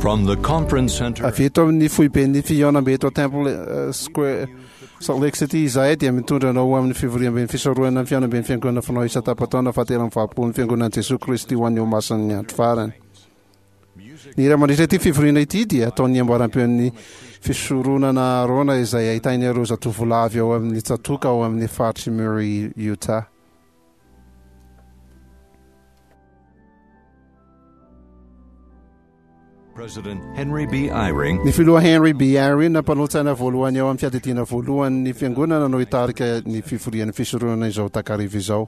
From the conference center. Avy eto amin'ny foiben'ny fihaonambe eto Temple Square, Salt Lake City izahay dia mitondra anao ho amin'ny fivoriamben'ny fisorohana ny fihaonamben'ny Fiangonana fanao isan-tapa-taona fahatelo amby valopolo ny Fiangonan'i Jesoa Kristy ho an'ny Olomasin'ny Andro Farany. Ny hira mandritra ity fivoriana ity dia ataon'ny amboaram-peon'ny Fisoronana Aharôna izay ahitana ireo zatovolahy avy ao amin'ny tsatòka ao amin'ny faritr'i Murray, Utah. President Henry B. Eyring. Ny Filoha Henry B. Eyring, mpanolotsaina voalohany ao amin'ny Fiadidiana Voalohany ny Fiangonana no hitarika ny fivorian'ny fisoronana izao takariva izao.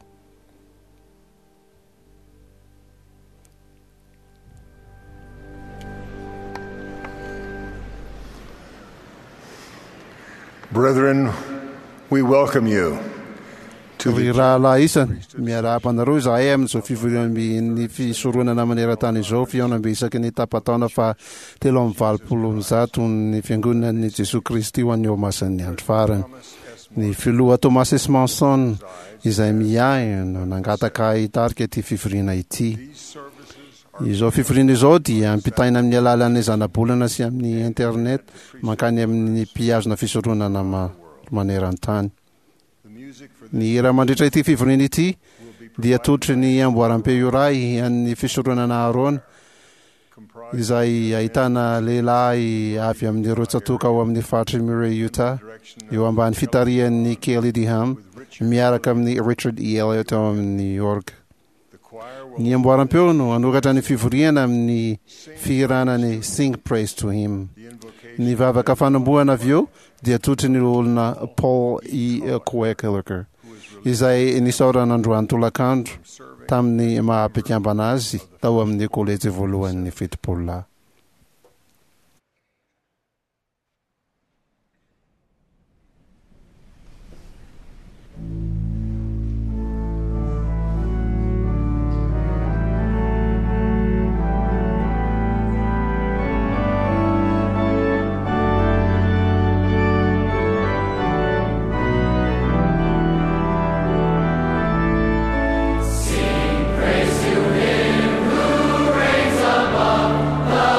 Brethren, we welcome you to Ry the rahalahy isany, miarahaba anareo izahay amin'izao fivoriamben'ny fisoronana maneran-tany izao, fihaonambe isaky ny tapa-taona faha 183 ny Fiangonan'i Jesoa Kristy ho an'ny Olomasin'ny Andro Farany. Ny Filoha Thomas S. Monson, izay miahy, no nangataka ahy hitarika ity fivoriana ity. Izao fivoriana izao dia ampitaina amin'ny alalan'ny zanabolana sy amin'ny internet mankany amin'ny mpihazona fisoronana maneran-tany. Ny hira mandritra ity fivoriana ity dia totry ny amboaram-peo iray an'ny fisoronana Aharôna izay ahitana lehilahy avy amin'ireo tsatòka ao amin'ny faritr'i Murray, Utah, eo ambany fitarihan'i Kelly Deham miaraka amin'i Richard E. Elliott ao amin'ny orga. Ny amboaram-peo no hanokatra ny fivoriana amin'ny fihirana ny Sing Praise to Him. Ny vavaka fanombohana avy eo dia totry ny loholona Paul E. Koeckler, izay nisaorana androany tolakandro tamin'ny maha mpikambana azy tao amin'ny Kolejy Voalohan'ny Fitopololahy. Sing praise to him who reigns above.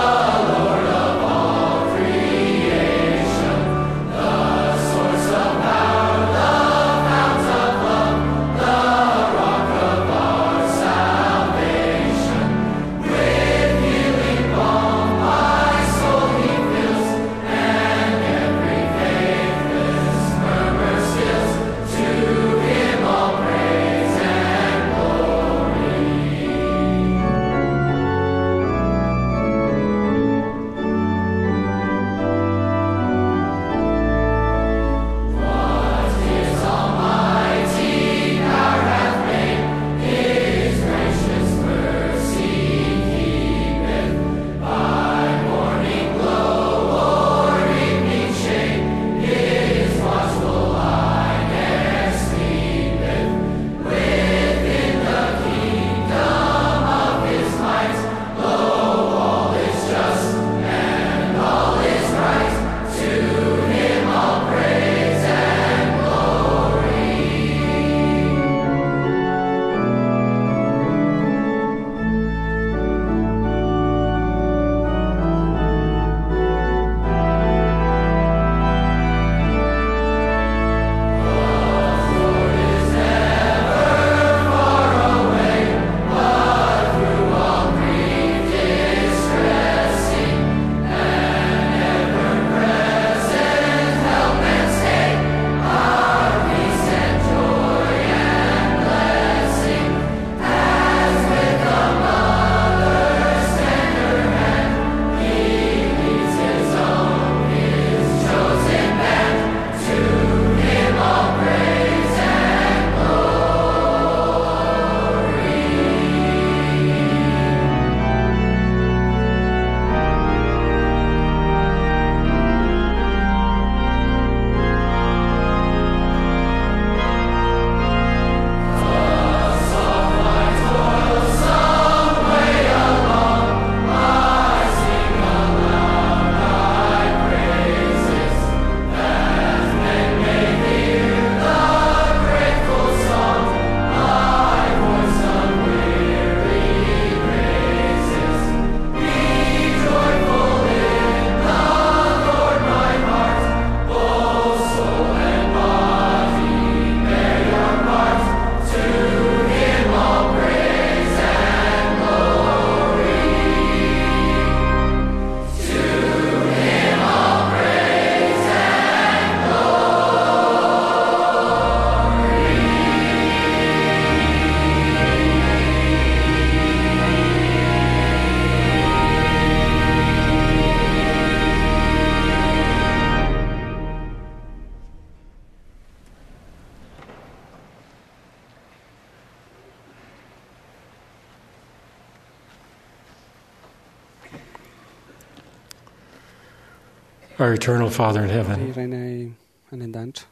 Our eternal Father in Ry heaven, Rainay any an-danitra,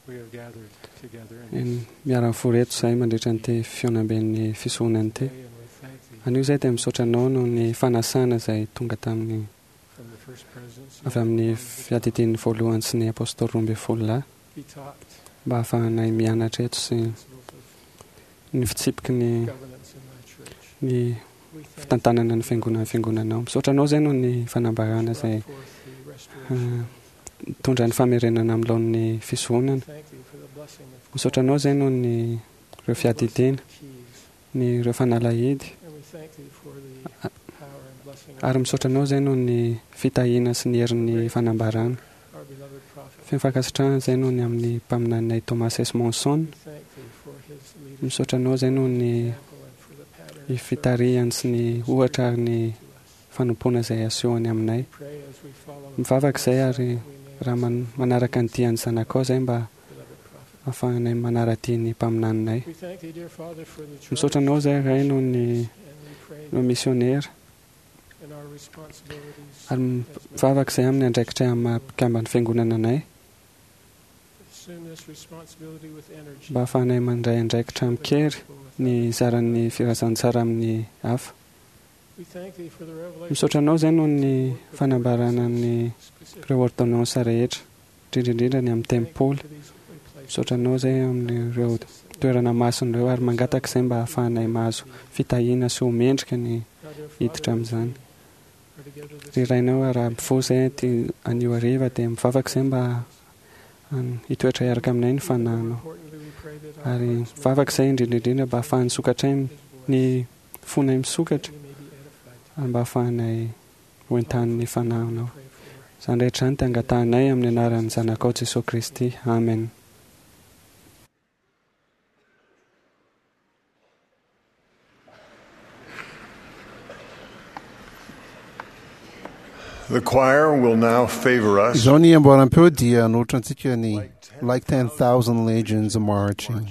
we have gathered together in eny miara-mivory eto izahay mandritra an'ity fihaonamben'ny fisoronana ity. this day, and we thank thee Anio izahay dia misaotra anao noho ny fanasana izay tonga tamin'ny from the first presidency avy amin'ny fiadidian'ny voalohany sy ny apôstôly 12 lahy be taught mba hahafahanay mianatra eto sy principles of ny fitsipiky ny governance in thy church. ny We thank fitantanana ny fiangonana fiangonanao. Misaotra anao izay noho ny fanambarana izay brought forth the restoration. mitondra ny famerenana amin'ny laon'ny fisoronana. Thank thee for the blessing of Misaotra anao izay noho ny ireo fiadidiana, keys, ny ireo fanalahidy and we thank thee for the power and blessing of ary misaotra anao izay noho ny fitahiana sy ny herin'ny fanambarana. our beloved prophet. Feno fankasitrahana izay noho ny amin'ny mpaminaninay Thomas S. Monson. We thank thee for his leadership Misaotra anao izay noho ny example and for the pattern ny of fitarihany sy ny ohatra ary ny service to us. fanompoana izay asehony aminay. We pray as we follow Mivavaka izay ary we may raha manaraka ny dian'ny zanakao izay mba beloved prophet. ahafahanay manara-dia ny mpaminaninay. We thank thee, dear Father, for the Misaotra anao izay Ray noho ny and we pray ireo misionera in our responsibilities ary as members mivavaka izay amin'ny andraikitray amin'ny maha mpikamban'ny fiangonana anay assume this responsibility with energy. mba ahafahanay mandray andraikitra amin-kery ny zaran'ny filazantsara amin'ny hafa. We thank thee for the revelation Misaotra anao izay noho ny fanambarana ny specific ireo ordonnance rehetra, indrindra indrindra ny amin'ny tempoly. for these holy places. Misaotra anao izay amin'ireo toerana masina ireo ary mangataka izay mba ahafahanay mahazo fitahiana sy ho mendrika ny Now, dear Father, hiditra amin'izany. we are together this Ry Rainao, raha mifoha izay aty anio hariva dia mivavaka izay mba hitoetra hiaraka aminay ny fanahinao. importantly, we pray that our Ary hearts may mivavaka izay indrindra indrindra mba ahafahan'ny sokatray his voice, ny fonay misokatra that we may be edified. ary mba ahafahanay ho entanin'ny fanahinao. Pray for Izany rehetra izany dia angatahanay amin'ny anaran'ny zanakao Jesoa Kristy. Amen. The choir will now favor us Izao ny amboaram-peo dia hanolotra antsika ny Like 10,000 Legions Marching.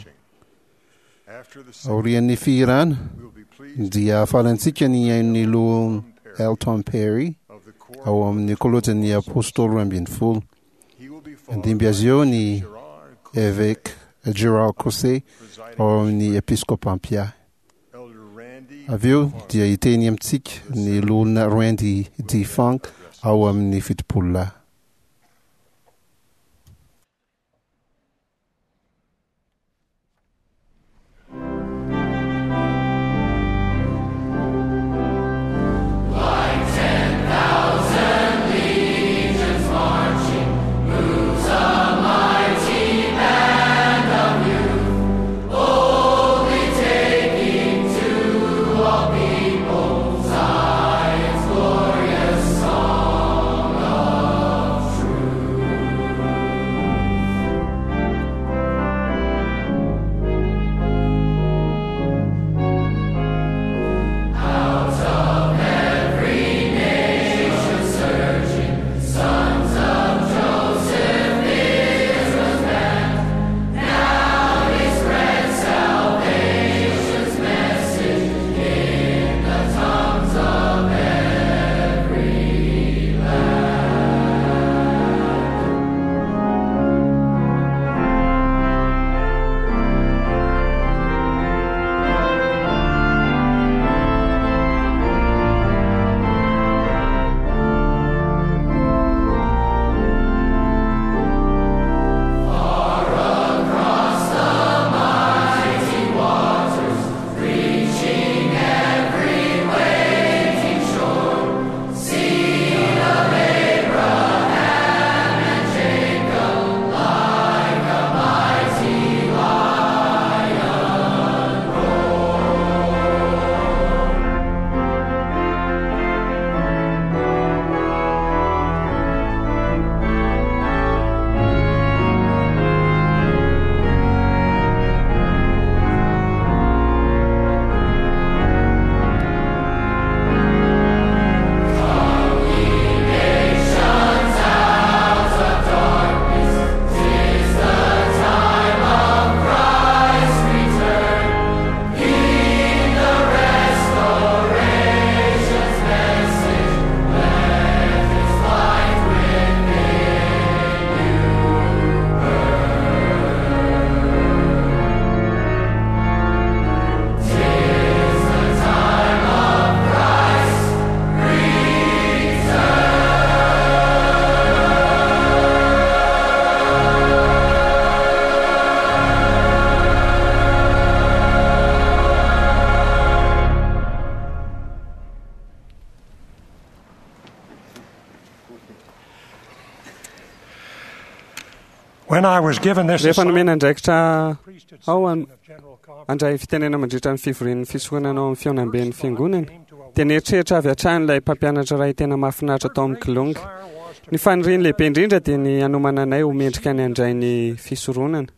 After the singing, Aorian'ny fihirana we will be pleased dia hahafaly antsika ny hain'ny loholona Elton Perry of the choir. ao amin'ny kôlôjin'ny apôstôly 12. He will be followed Andimby azy eo ny Gerard évêque Gerard Cosset presiding ao amin'ny episkôpa Ampia. Elder Randy Avy eo dia hiteny amintsika ny loholona Randy D. Funk ao amin'ny 70 lahy. Glorious song of When I was given this Rehefa nomena andraikitra priesthood ao section of General Conference, handray fitenena mandritra ny fivorian'ny fisoronana ao amin'ny fihaonamben'ny fiangonana, dia nieritreritra avy hatrany ilay mpampianatra iray tena mahafinaritra tao amin'ny Kilonga. Ny faniriany lehibe indrindra dia ny hanomana anay ho mendrika ny handray ny fisoronana.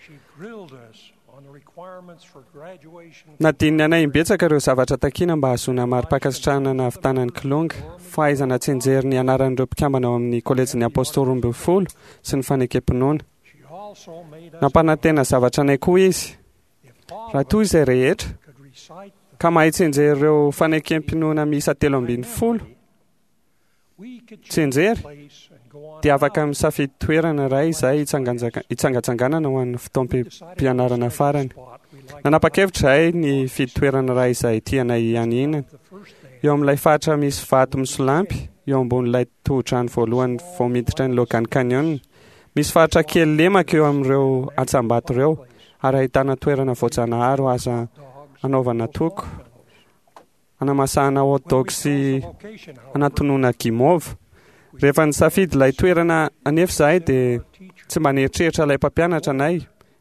she grilled us on the requirements for graduation Nadininy anay imbetsaka ireo zavatra takiana mba hahazoana mari-pankasitrahana nahavitana ny Kilonga, fahaizana tsianjery ny anaran'ireo mpikambana ao amin'ny kolejin'ny Apôstôly 12 sy ny fanekem-pinoana. She also made us Nampanantena zavatra anay koa izy, if all raha of toa us izay rehetra could recite the ka mahay tsianjery ireo fanekem-pinoana miisa 13 we could choose tsianjery a place and go on dia afaka out. misafidy toerana iray izay hitsangatsanganana ho an'ny fotoam-pianarana farany. Spot we liked Nanapa-kevitra izahay ny fidy toerana iray izay tianay hianiana. the first day Eo amin'ilay faritra misy vato misolampy, eo ambonin'ilay tohodrano voalohany vao miditra ny Logan Canyon. Misy faritra kely lemaka eo amin'ireo antsambato ireo ary ahitana toerana voajanahary ho aza dogs anaovana toko, anamasahana hot dog sy location however, anatonona gimova. Rehefa nisafidy ilay toerana anefa izahay dia tsy mba nieritreritra ilay mpampianatra anay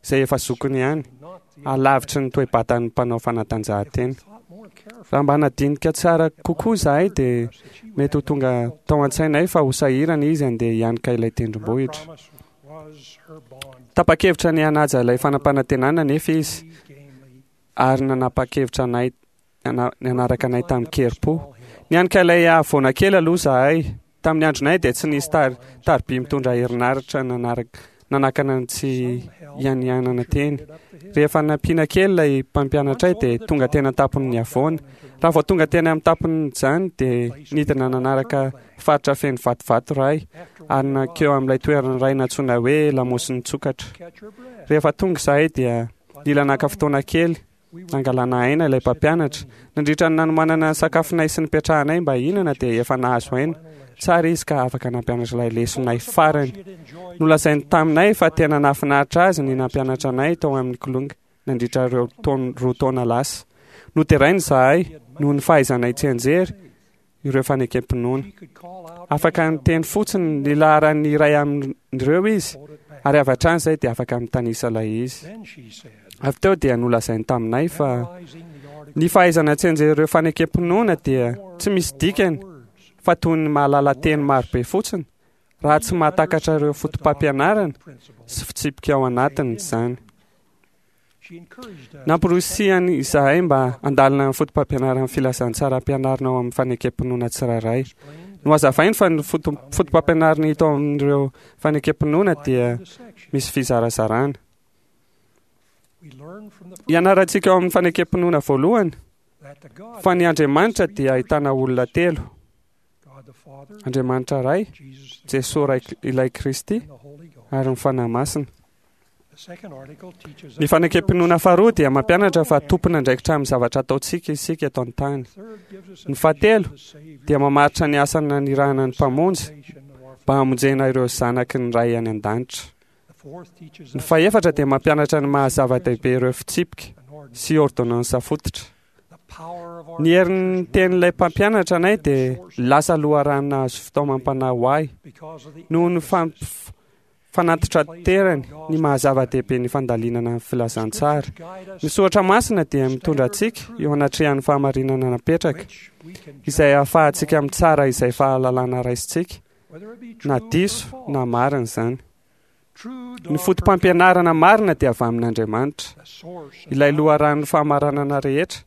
izay efa zokiny ihany, not the alavitry ny toe-batan'ny mpanao fanatanjahantena. thought more carefully Raha mba nadinika tsara kokoa izahay dia mety ho tonga tao an-tsainay fa ho sahirana izy andeha hianika ilay tendrombohitra. promise was her bond Tapa-kevitra ny hanaja ilay fanampanantenana nefa izy gamely ary nanapa-kevitra anay nanaraka anay tamin-kerim-po. Nianika ilay havoana kely aloha izahay. Tamin'ny andronay dia tsy nisy tariby mitondra herinaratra nanakana ny tsy hianianana teny. Rehefa nampiana kely ilay mpampianatray dia tonga teny an-tampon'ny havoana. Raha vao tonga teny amin'ny tampon'izany dia nidina nanaraka faritra feno vatovato iray ary nankeo amin'ilay toerana iray nantsoina hoe Lamosin'ny Tsokatra. catch your breath Rehefa tonga izahay dia nila naka fotoana kely nangalana aina ilay mpampianatra. Nandritra ny nanomanana ny sakafonay sy nipetrahanay mba hihinana dia efa nahazo aina. Tsara izy ka afaka nampianatra ilay lesonay farany. she had enjoyed Nolazainy taminay fa tena nahafinaritra azy ny nampianatra anay tao amin'ny Kilonga nandritra ireo 2 taona lasa. Noderainy izahay noho ny fahaizanay tsianjery ireo fanekem-pinoana. she could call out Afaka niteny fotsiny ny laharan'ny iray amin'ireo izy quote it back ary avy hatrany izay dia afaka mitanisa ilay izy. then she said Avy teo dia nolazainy taminay fa memorizing the article ny fahaizana tsianjery ireo fanekem-pinoana dia tsy misy dikany words fa toy ny mahalala teny marobe fotsiny raha tsy mahatakatra ireo foto-pampianarana principle sy fitsipika ao anatiny izany. she encouraged us Namporosihany izahay mba handalina ny foto-pampianaran'ny filazantsara ampianarina ao amin'ny fanekem-pinoana tsirairay. Nohazavainy fa ny foto-pampianarana hita ao amin'ireo fanekem-pinoana dia the section misy fizarazarana. we learned from the first Ianarantsika ao amin'ny fanekem-pinoana voalohany that the God fa ny Andriamanitra dia ahitana olona telo: God the Father Andriamanitra Ray, Jesus the Jesoa Ray ilay Kristy and the Holy Ghost ary ny Fanahy Masina. the second article teaches Ny us fanekem-pinoana faharoa dia mampianatra fa tompon'andraikitra amin'ny zavatra ataontsika isika eto an-tany. the third gives us a Ny fahatelo vision of the Savior dia mamaritra ny asa nanirahana ny Mpamonjy salvation of our mba hamonjena ireo zanaky ny Ray any an-danitra. the fourth teaches Ny us fahefatra dia mampianatra ny maha-zava-dehibe ireo fitsipika an ordinance sy ordonnansa fototra. the power of our Ny herin'ny tenin'ilay mpampianatra anay dia lasa loharano nahazo fitaomam-panahy ho ahy because of the noho ny fanatitraterany ny maha-zava-dehibe ny fandalinana ny filazantsara. guide us Ny soratra masina dia mitondra antsika eo anatrehan'ny fahamarinana napetraka which we can izay ahafahantsika mitsara izay fahalalana raisintsika whether it be true na or diso false. na marina izany. True Ny doctrine, foto-pampianarana marina dia avy amin'Andriamanitra, the source of ilay loharanon'ny fahamarinana rehetra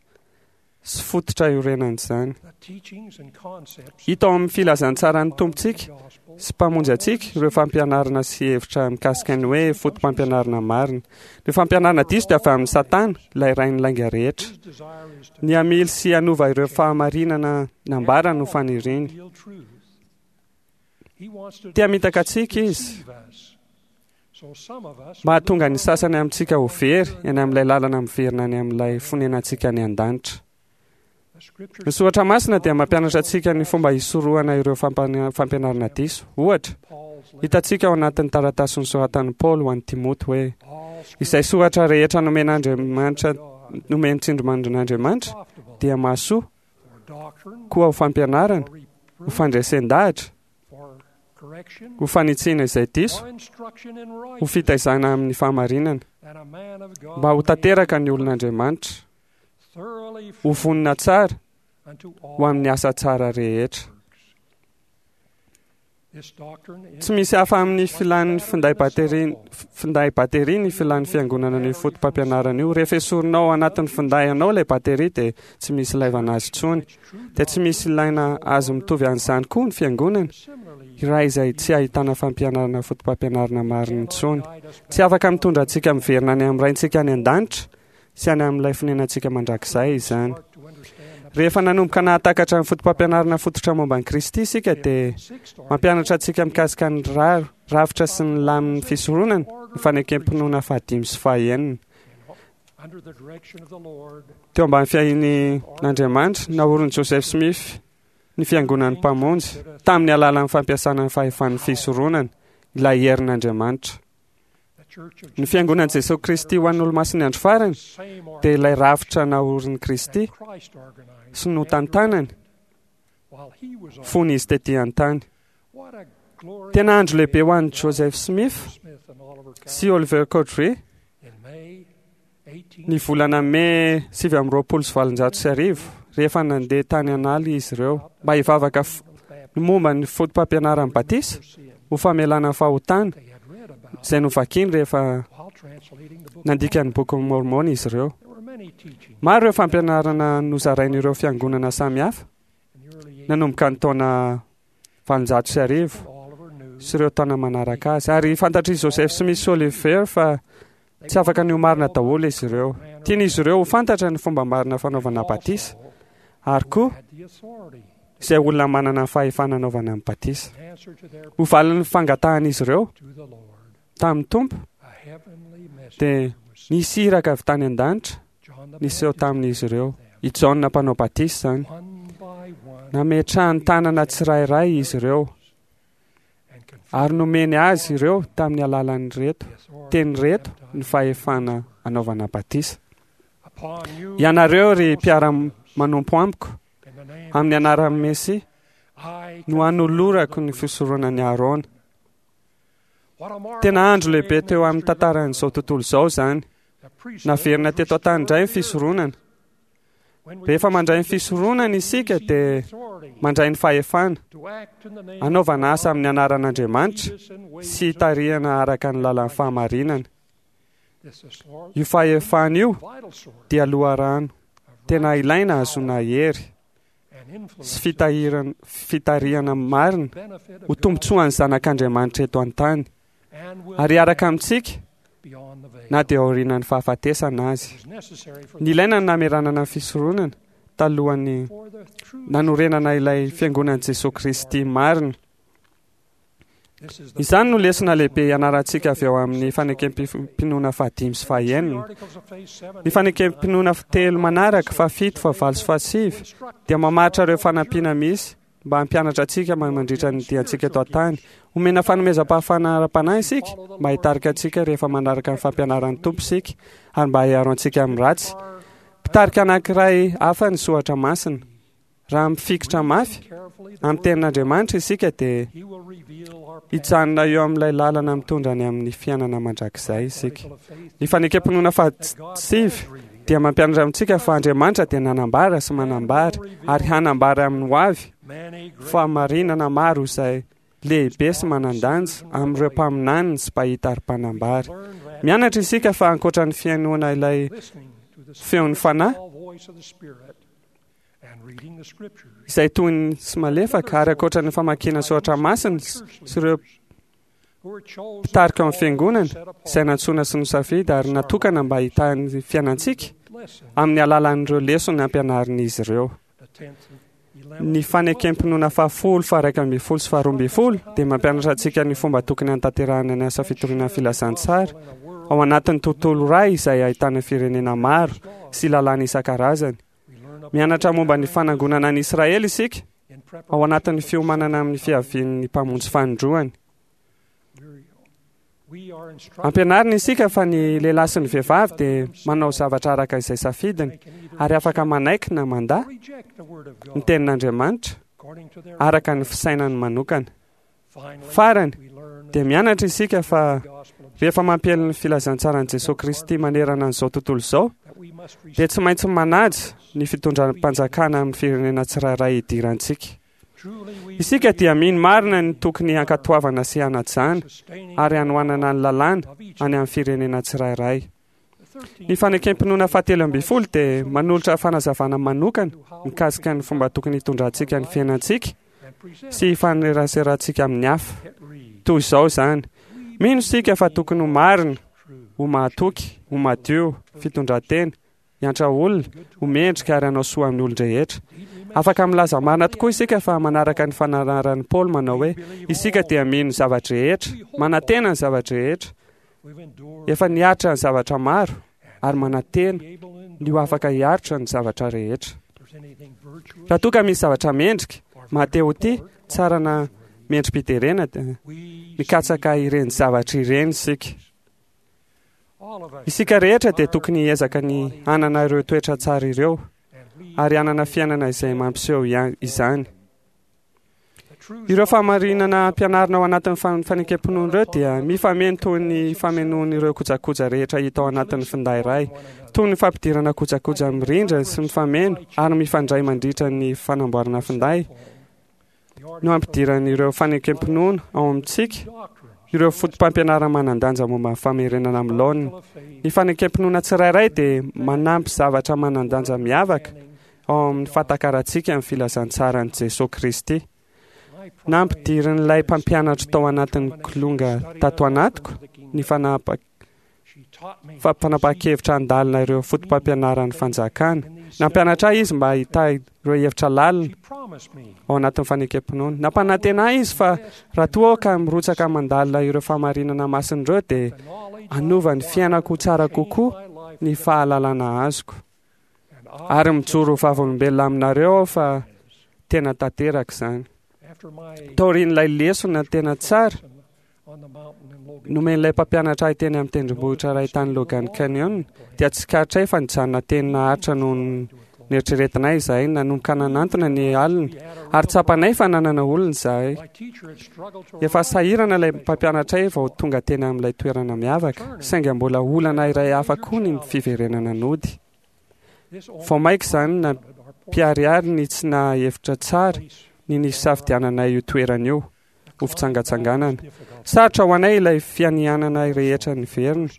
sy fototra iorenan'izany. the teachings and concepts Hita ao amin'ny filazantsaran'ny Tompontsika gospel sy mpamonjy antsika ireo fampianarana sy hevitra mikasika ny hoe foto-pampianarana marina. Ny fampianarana diso dia avy amin'ny Satana, ilay rain'ny lainga rehetra. his desire is to Ny hamily sy hanova ireo fahamarinana nambara no faniriany. reveal truth. He wants to Te hamitaka antsika izy deceive us. So some of us mahatonga ny sasany amintsika ho very eny amin'ilay lalana miverina any amin'ilay fonenantsika any an-danitra. the scriptures Ny soratra masina dia mampianatra antsika ny fomba hisorohana ireo fampianarana diso. Ohatra, Paul's letter, hitantsika ao anatin'ny taratasy nosoratan'i Paoly ho an'i Timoty hoe all izay soratra rehetra nomen'Andriamanitra God nomen'ny tsindrimandrin'Andriamanitra profitable dia mahasoa for doctrine, koa ho fampianarana, for ho reproof, fandresen-dahatra, for ho fanitsiana izay diso, ho fitaizana amin'ny fahamarinana, mba ho tanteraka ny olon'Andriamanitra, ho vonona tsara ho amin'ny asa tsara rehetra. Tsy misy hafa amin'ny filan'ny finday bateria finday bateria ny filan'ny fiangonana ny foto-pampianarana io. Rehefa esorinao ao anatin'ny finday anao ilay bateria dia tsy misy ilaivana azy intsony. Dia tsy misy ilaina azy mitovy an'izany koa ny fiangonana iray izay tsy ahitana fampianarana foto-pampianarana marina intsony. Tsy afaka mitondra antsika miverina any amin'ny Raintsika any an-danitra sy any amin'ilay fonenantsika mandrakizay izany. Rehefa nanomboka nahatakatra ny foto-pampianarana fototra momba an'i Kristy isika dia mampianatra antsika mikasika ny rafitra sy ny lamin'ny fisoronana ny fanekem-pinoana fahadimy sy fahenina. Teo ambany fiahian'Andriamanitra, naorin'i Joseph Smith ny Fiangonan'ny Mpamonjy tamin'ny alalan'ny fampiasana ny fahefan'ny fisoronana, ilay herin'Andriamanitra. Ny Fiangonan'i Jesoa Kristy ho an'ny Olomasin'ny Andro Farany dia ilay rafitra naorin'i Kristy sy notantanany fony izy tetỳ an-tany. Tena andro lehibe ho an'i Joseph Smith sy Oliver Cowdery ny volana Mey 1829, rehefa nandeha tany an'ala izy ireo mba hivavaka ny momba ny foto-pampianaran'ny batisa ho famelana ny fahotana izay novakiny rehefa nandika ny Bokin'i Môrmôna izy ireo. Maro ireo fampianarana nozarain'ireo fiangonana samihafa nanomboka ny taona 1800 sy ireo taona manaraka azy. Ary fantatr'i Joseph Smith sy Oliver fa tsy afaka ny ho marina daholo izy ireo. Tian'izy ireo ho fantatra ny fomba marina fanaovana batisa, ary koa izay olona manana ny fahefana anaovana ny batisa. Ho valin'ny fangatahan'izy ireo tamin'ny Tompo, dia nisy iraka avy tany an-danitra niseho tamin'izy ireo. I Jaona mpanao batisa izany. Nametrahany tanana tsirairay izy ireo ary nomeny azy ireo tamin'ny alalan'ireto teny ireto ny fahefana anaovana batisa. Ianareo ry mpiara-manompo amiko, amin'ny anaran'ny Mesia no anolorako ny fisoronan'i Arona. Tena andro lehibe teo amin'ny tantaran'izao tontolo izao izany. Naverina teto an-tany indray ny fisoronana. Rehefa mandray ny fisoronana isika dia mandray ny fahefana hanaovana asa amin'ny anaran'Andriamanitra sy hitarihana araka ny lalan'ny fahamarinana. Io fahefana io dia loharano tena ilaina hahazoana hery sy fitarihana marina ho tombontsoan'ny zanak'Andriamanitra eto an-tany ary hiaraka amintsika na dia aorianan'ny fahafatesana azy. Nilaina ny nameranana ny fisoronana talohan'ny nanorenana ilay Fiangonan'i Jesoa Kristy marina. Izany no lesona lehibe ianarantsika avy ao amin'ny fanekem-pinoana fahadimy sy fahenina. Ny fanekem-pinoana telo manaraka, fahafito, fahavalo sy fahasivy, dia mamaritra ireo fanampiana misy mba hampianatra antsika mandritra ny diantsika eto an-tany. Omena fanomezam-pahafahana ara-panahy isika mba hitarika antsika rehefa manaraka ny fampianaran'ny Tompo isika ary mba hiaro antsika amin'ny ratsy. Mpitarika anankiray hafa ny soratra masina. Raha mifikitra mafy amin'ny tenin'Andriamanitra isika dia hijanona eo amin'ilay lalana mitondra any amin'ny fiainana mandrakizay isika. Ny fanekem-pinoana fahasivy dia mampianatra amintsika fa Andriamanitra dia nanambara sy manambara ary hanambara amin'ny hoavy fahamarinana maro izay lehibe sy manan-danja amin'ireo mpaminaniny sy mpahita ary mpanambara. Mianatra isika fa ankoatra ny fihainoana ilay feon'ny Fanahy, izay toy ny sy malefaka ary ankoatra ny famakiana soratra masina sy ireo mpitarika ao amin'ny fiangonana izay nantsoina sy nosafidy ary natokana mba hitahy ny fiainantsika amin'ny alalan'ireo lesona ampianarin'izy ireo. Ny fanekem-pinoana fahafolo, faha-iraika ambin'ny folo sy faharoa ambin'ny folo dia mampianatra antsika ny fomba tokony hanatanterahana ny asa fitoriana ny filazantsara ao anatin'ny tontolo iray izay ahitana firenena maro sy lalàna isan-karazany. Mianatra momba ny fanangonana an'i Israely isika ao anatin'ny fiomanana amin'ny fiavian'ny Mpamonjy fanindroany. Ampianarina isika fa ny lehilahy sy ny vehivavy dia manao zavatra araka izay safidiny ary afaka manaiky na mandà ny tenin'Andriamanitra araka ny fisainany manokana. Farany, dia mianatra isika fa rehefa mampiely ny filazantsaran'i Jesoa Kristy manerana an'izao tontolo izao, dia tsy maintsy manaja ny fitondram-panjakana amin'ny firenena tsirairay idirantsika. Isika dia mino marina ny tokony hankatoavana sy hanajana ary hanohanana ny lalàna any amin'ny firenena tsirairay. Ny Fanekem-pinoana fahatelo ambin'ny folo dia manolotra fanazavana manokana mikasika ny fomba tokony hitondrantsika ny fiainantsika sy hifaneraserantsika amin'ny hafa. Toy izao izany, mino isika fa tokony ho marina, ho mahatoky, ho madio, fitondran-tena, hiantra olona, ho mendrika ary hanao soa amin'ny olon-drehetra. Afaka milaza marina tokoa isika fa manaraka ny fananaran'i Paoly manao hoe, isika dia mino ny zava-drehetra, manantena ny zava-drehetra, Efa niaritra ny zavatra maro ary manantena ny ho afaka hiaritra ny zavatra rehetra. Raha toa ka misy zavatra mendrika, maha-te ho tia, tsara na mendri-piderena dia mikatsaka ireny zavatra ireny isika. Isika rehetra dia tokony hiezaka ny hanana ireo toetra tsara ireo ary hanana fiainana izay mampiseho izany. Ireo fahamarinana ampianarina ao anatin'ny fanekem-pinoana ireo dia mifameno toy ny famenoan'ireo kojakoja rehetra hita ao anatin'ny finday iray, toy ny fampidirana kojakoja mirindra sy mifameno ary mifandray mandritra ny fanamboarana finday no ampidiran'ireo fanekem-pinoana ao amintsika ireo fotopampianarana manan-danja momba ny famerenana amin'ny laoniny. Ny fanekem-pinoana tsirairay dia manampy zavatra manan-danja miavaka ao amin'ny fahatakarantsika ny filazantsaran'i Jesoa Kristy. Nampidirin'ilay mpampianatro tao anatin'ny kilonga tato anatiko ny fanapahan-kevitra handalina ireo fotopampianaran'ny fanjakana. Nampianatra ahy izy mba hitahy ireo hevitra lalina ao anatin'ny fanekem-pinoana. Nampanantena ahy izy fa raha toa aho ka mirotsaka mandalina ireo fahamarinana masina ireo dia hanova ny fiainako ho tsara kokoa ny fahalalana azoko. Ary mijoro ho vavolombelona aminareo aho fa tena tanteraka izany. Taorian'ilay lesona tena tsara nomen'ilay mpampianatra ahy teny amin'ny tendrombohitra iray tany Logan Canyon, dia tsikaritray fa nijanona teny naharitra noho ny neritreretinay izahay nanomboka nanantona ny alina, ary tsapanay fa nanana olona izahay. Efa sahirana ilay mpampianatray vao tonga teny amin'ilay toerana miavaka, saingy mbola olana iray hafa koa ny fiverenana nody. Vao mainka izany nampiharihary ny tsy naha hevitra tsara ny nisafidiananay io toerana io ho fitsangatsanganana. Sarotra ho anay ilay fianianana rehetra niverina,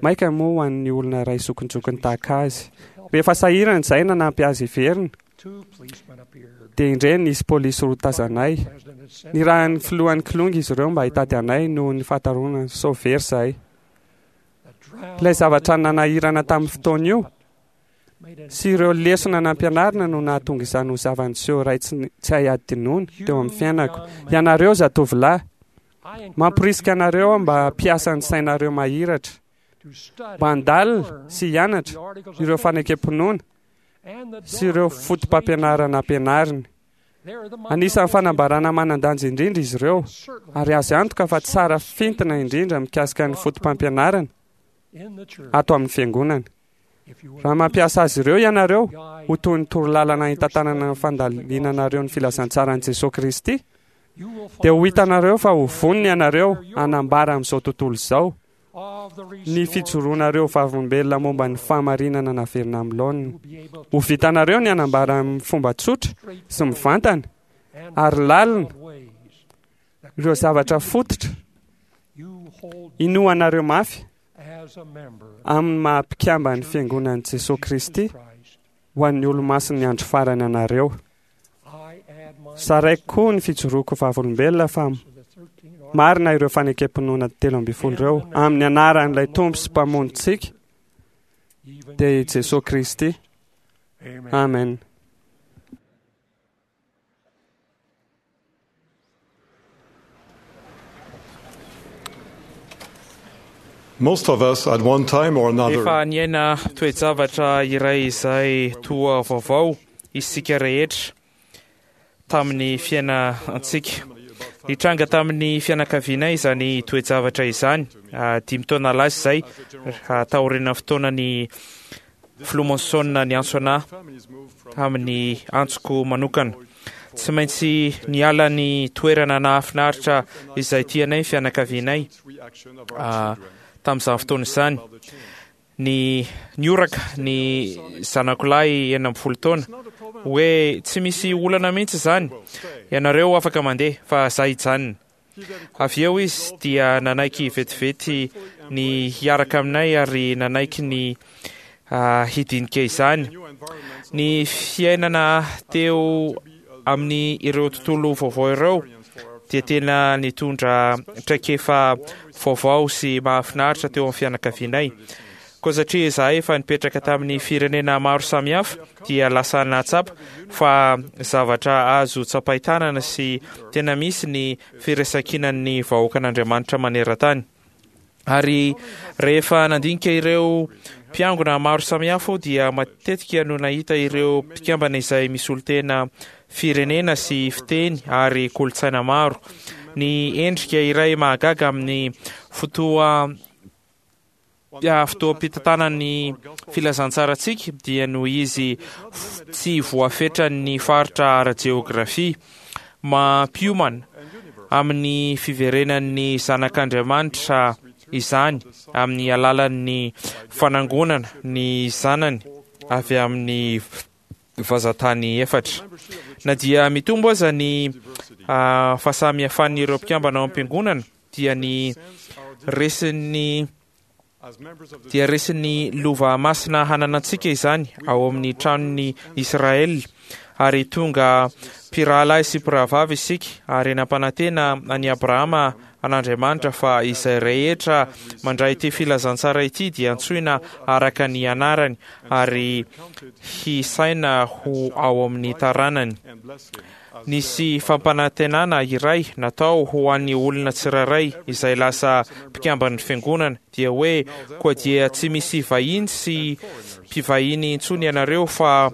mainka moa ho an'ny olona iray zokinjokiny tahaka azy. Rehefa sahirana izahay nanampy azy hiverina, dia indreny nisy polisy roa tazanay. Nirahin'ny filohan'ny kilonga izy ireo mba hitady anay noho ny fahatarona sao very izahay. Ilay zavatra nanahirana tamin'ny fotoana io sy ireo lesona nampianarina no nahatonga izany ho zava-niseho iray tsy hay hadinoina teo amin'ny fiainako. Ianareo zatovolahy, mamporisika anareo aho mba hampiasa ny sainareo mahiratra, mba handalina sy hianatra ireo fanekem-pinoana sy ireo fotopampianarana ampianariny. Anisan'ny fanambarana manan-danja indrindra izy ireo, ary azo antoka fa tsara fintina indrindra mikasika ny fotopampianarana ato amin'ny Fiangonana. Raha mampiasa azy ireo ianareo ho toy ny torolalana hitantanana ny fandalinanareo ny filazantsaran'i Jesoa Kristy, dia ho hitanareo fa ho vonona ianareo hanambara amin'izao tontolo izao ny fijoroanareo vavolombelona momba ny fahamarinana naverina amin'ny laoniny. Ho vitanareo ny hanambara amin'ny fomba tsotra sy mivantana ary lalina ireo zavatra fototra inoanareo mafy amin'ny maha mpikamban'ny Fiangonan'i Jesoa Kristy ho an'ny Olomasin'ny Andro Farany anareo. Zaraiko koa ny fijoroako vavolombelona fa marina ireo fanekem-pinoana 13 ireo amin'ny anaran'ilay Tompo sy Mpamonjintsika, dia i Jesoa Kristy. Amen. Most of us at one time or another. Efa niaina toe-javatra iray izay toa vaovao isika rehetra tamin'ny fiainantsika. Nitranga tamin'ny fianakavianay izany toe-javatra izany, 5 taona lasa izay, taorian'ny fotoanan'ny Filoha Monson niantso anà tamin'ny antsoko manokana. Tsy maintsy niala ny toerana nahafinaritra izay tianay ny fianakavianay tamin'izany fotoana izany. Ny nioraka ny zanako lahy 16 taona hoe tsy misy olana mihitsy izany, ianareo afaka mandeha fa za hijanona. Avy eo izy dia nanaiky vetivety ny hiaraka aminay ary nanaiky ny hidinika izany. Ny fiainana teo amin'ny ireo tontolo vaovao ireo dia tena nitondra traikefa vaovao sy mahafinaritra teo amin'ny fianakavianay. Koa satria izahay efa nipetraka tamin'ny firenena maro samihafa dia lasa nahatsapa fa zavatra azo tsapain-tanana sy tena misy ny firaisankinan'ny vahoakan'Andriamanitra maneran-tany. Ary rehefa nandinika ireo mpiangona maro samihafa aho dia matetika no nahita ireo mpikambana izay misolo-tena firenena sy fiteny ary kolontsaina maro. Ny endrika iray mahagaga amin'ny fotoa fotoam-pitantanan'ny filazantsarantsika dia noho izy tsy voafetran'ny faritra ara-jeografia. Mampiomana amin'ny fiverenan'ny Zanak'Andriamanitra izany amin'ny alalan'ny fanangonana ny zanany avy amin'ny vazantany efatra. Na dia mitombo aza ny fahasamihafan'ireo mpikambana ao am-piangonana dia ny resin'ny dia resin'ny lova masina hananantsika izany ao amin'ny tranon'i Israel ary tonga mpirahalahy sy mpirahavavy isika ary nampanantena an'i Abrahama an'Andriamanitra fa izay rehetra mandray ity filazantsara ity dia antsoina araka ny anarany ary hisaina ho ao amin'ny taranany. Nisy fampanantenana iray natao ho an'ny olona tsirairay izay lasa mpikamban'ny fiangonana, dia hoe, Koa dia tsy misy vahiny sy mpivahiny intsony ianareo fa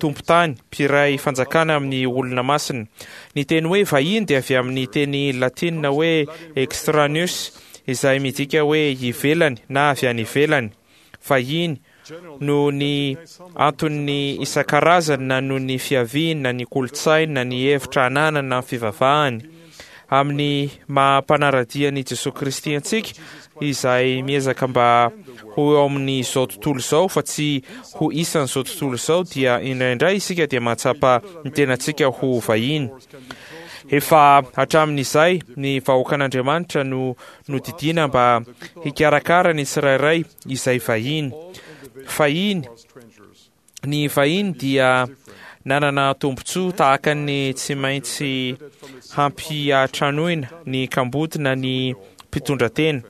tompon-tany, mpiray fanjakana amin'ny olona masina. Ny teny hoe vahiny dia avy amin'ny teny latinina hoe extraneus, izay midika hoe ivelany na avy any ivelany. Vahiny, noho ny antony isan-karazany na noho ny fiaviany na ny kolontsainy na ny hevitra ananany na ny fivavahany. Amin'ny maha mpanara-dia an'i Jesoa Kristy antsika, izay miezaka mba ho eo amin'izao tontolo izao fa tsy ho isan'izao tontolo izao, dia indraindray isika dia mahatsapa ny tenantsika ho vahiny. Efa hatramin'izay ny vahoakan'Andriamanitra no nodidiana mba hikarakara ny tsirairay izay vahiny. Fahiny, ny vahiny dia nanana tombontsoa tahaka ny tsy maintsy hampiantranoina ny kamboty na ny mpitondratena.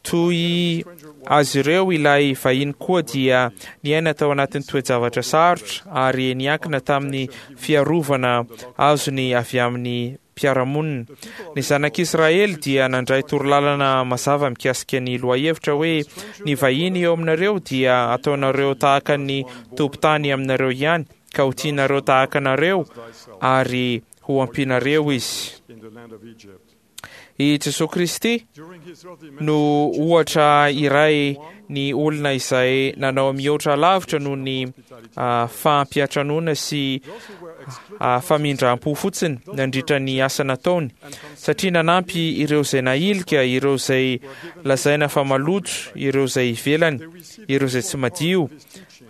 Toy azy ireo ilay vahiny koa dia niaina tao anatin'ny toe-javatra sarotra ary niankina tamin'ny fiarovana azony avy amin'ny mpiara-monina. Ny zanak'Israely dia nandray torolalana mazava mikasika ny lohahevitra hoe ny vahiny eo aminareo dia ataonareo tahaka ny tompon-tany aminareo ihany, ka ho tianareo tahaka anareo ary ho ampianareo izy. I Jesoa Kristy no ohatra iray ny olona izay nanao mihoatra lavitra noho ny fampiantranoana sy famindram-po fotsiny nandritra ny asa nataony, satria nanampy ireo izay nahilika, ireo izay lazaina fa maloto, ireo izay ivelany, ireo izay tsy madio,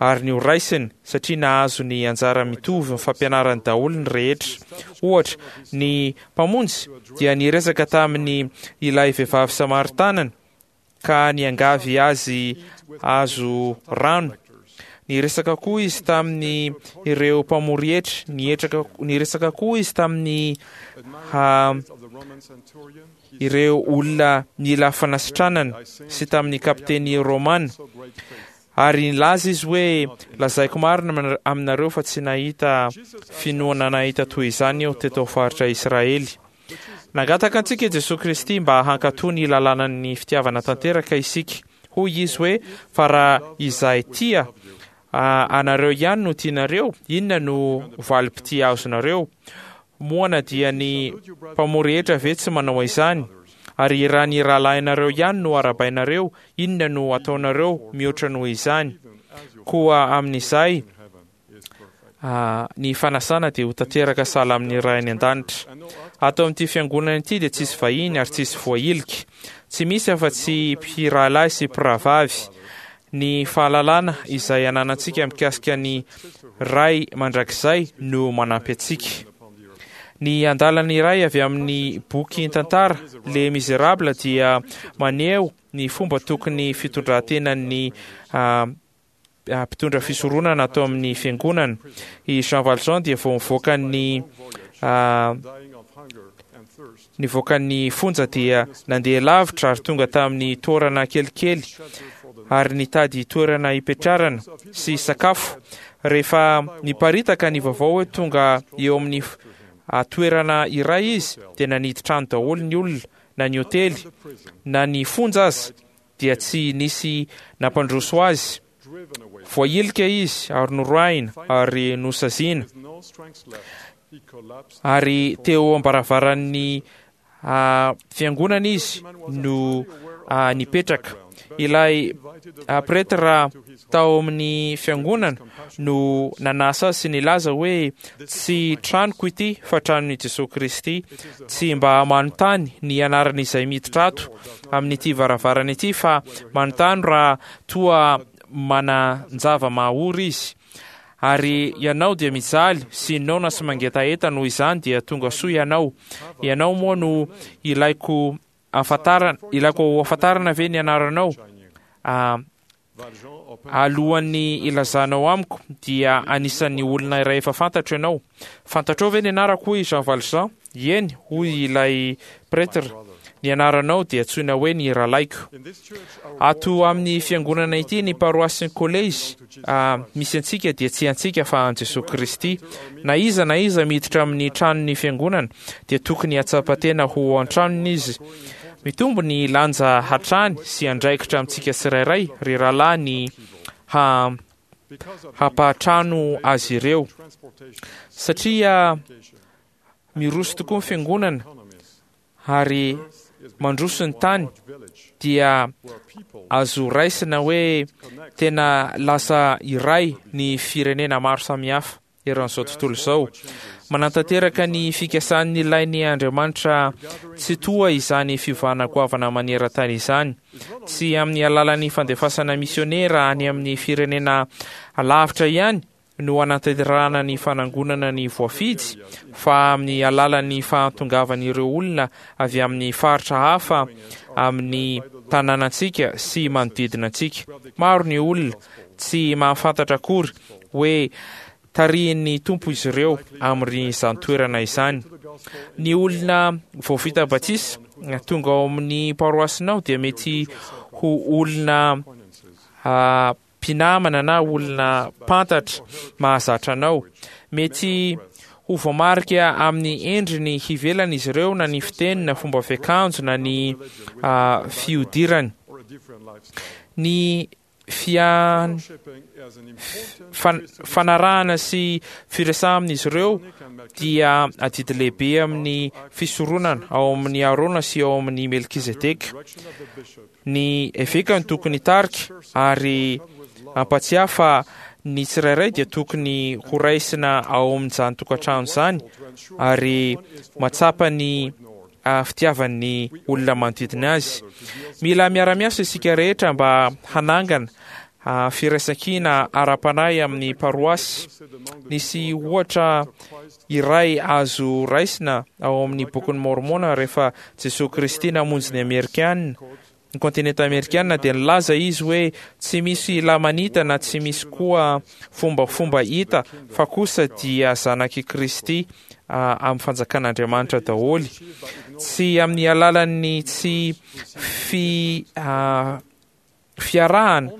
ary ny ho raisiny, satria nahazo ny anjara mitovy ny fampianarany daholo ny rehetra. Ohatra, ny Mpamonjy dia niresaka tamin'ny ilay vehivavy Samaritanana ka niangavy azy hahazo rano. Niresaka koa izy tamin'ny ireo mpamory hetra, nietraka, niresaka koa izy tamin'ny ha, ireo olona nila fanasitranana sy tamin'ny kapiteny romana. Ary nilaza izy hoe, Lazaiko marina aminareo fa tsy nahita finoana nahita toy izany aho teto faritra Israely. Nangataka antsika i Jesoa Kristy mba hankatò ny lalànan'ny fitiavana tanteraka isika. Hoy Izy hoe, Fa raha izay tia anareo ihany no tianareo, inona no valim-pitia azonareo? Moa na dia ny mpamory hetra ve tsy manao izany? Ary raha ny rahalahinareo ihany no arahabainareo, inona no ataonareo mihoatra noho izany? Koa amin'izay, Ny fanasana dia ho tanteraka sahala amin'ny Ray any An-danitra. Ato amin'ity fiangonana ity dia tsisy vahiny ary tsisy voahilika. Tsy misy afa-tsy mpirahalahy sy mpirahavavy. Ny fahalalana izay ananantsika mikasika ny Ray Mandrakizay no manampy antsika. Ny andalana iray avy amin'ny boky tantara Les Misérables dia maneho ny fomba tokony fitondran-tenan'ny mpitondra fisoronana ato amin'ny fiangonana. I Jean Valjean dia vao nivoaka ny nivoaka ny fonja dia nandeha lavitra ary tonga tamin'ny toerana kelikely ary nitady toerana hipetrarana sy sakafo. Rehefa niparitaka ny vaovao hoe tonga eo amin'ny toerana iray izy dia nanidy trano daholo ny olona, na ny hotely na ny fonja aza dia tsy nisy nampandroso azy. Voahilika izy ary noroahina ary nosaziana. Ary teo am-baravaran'ny fiangonana izy no nipetraka. Ilay pretra tao amin'ny fiangonana no nanasa azy sy nilaza hoe, Tsy tranoko ity fa tranon'i Jesoa Kristy. Tsy mba manontany ny anaran'izay miditra ato amin'ity varavarana ity fa manontany raha toa manan-java-mahaory izy. Ary ianao dia mijaly sy noana sy mangetaheta noho izany dia tonga soa ianao. Ianao moa no ilaiko ahafantarana, ilaiko ahafantarana ve ny anaranao? Alohan'ny hilazanao amiko dia anisan'ny olona iray efa fantatro ianao. Fantatrao ve ny anarako hoy Jean Valjean? Eny, hoy ilay pretre, ny anaranao dia antsoina hoe ny rahalaiko. Ato amin'ny fiangonana ity ny paroasy sy ny kolejy misy antsika dia tsy antsika fa an'i Jesoa Kristy. Na iza na iza miditra amin'ny tranon'ny fiangonana dia tokony hahatsapa tena ho ao an-tranony izy. Mitombo ny lanja hatrany sy andraikitra amintsika tsirairay ry rahalahy ny ha hampahatrano azy ireo satria miroso tokoa ny fiangonana ary mandroso ny tany dia azo raisina hoe tena lasa iray ny firenena maro samihafa. eran'izao tontolo izao. Manatanteraka ny fikasan'ny ilain'ny Andriamanitra Tsitoha izany fiovana goavana maneran-tany izany, tsy amin'ny alalan'ny fandefasana misionera any amin'ny firenena lavitra ihany no hanatanterahana ny fanangonana ny voafidy, fa amin'ny alalan'ny fahatongavan'ireo olona avy amin'ny faritra hafa amin'ny tanànantsika sy manodidina antsika. Maro ny olona tsy mahafantatra akory hoe tarihin'ny Tompo izy ireo amin'izany toerana izany. Ny olona vao vita batisa tonga ao amin'ny paroasinao dia mety ho olona mpinamana na olona mpantatra mahazatra anao. Mety ho voamarika amin'ny endriny hivelany izy ireo na ny fiteny na fomba fiakanjo na ny fihodirany. Ny fian fanarahana sy firesahana amin'izy ireo dia adidy lehibe amin'ny fisoronana ao amin'ny Arona sy ao amin'ny Melkizedeka. Ny eveka no tokony hitarika ary hampatsiahy fa ny tsirairay dia tokony horaisina ao amin'izany tokantrano izany ary matsapa ny fitiavan'ny olona manodidina azy. Mila miara-miasa isika rehetra mba hanangana firaisankina ara-panahy amin'ny paroasy. Nisy ohatra iray azo raisina ao amin'ny Bokin'i Môrmôna rehefa Jesoa Kristy namonjy ny Amerikana ny kontinenta amerikana dia nilaza izy hoe tsy misy Lamanita na tsy misy koa fombafomba hita fa kosa dia zanak'i Kristy amin'ny fanjakan'Andriamanitra daholo. Tsy amin'ny alalan'ny tsy fi fiarahana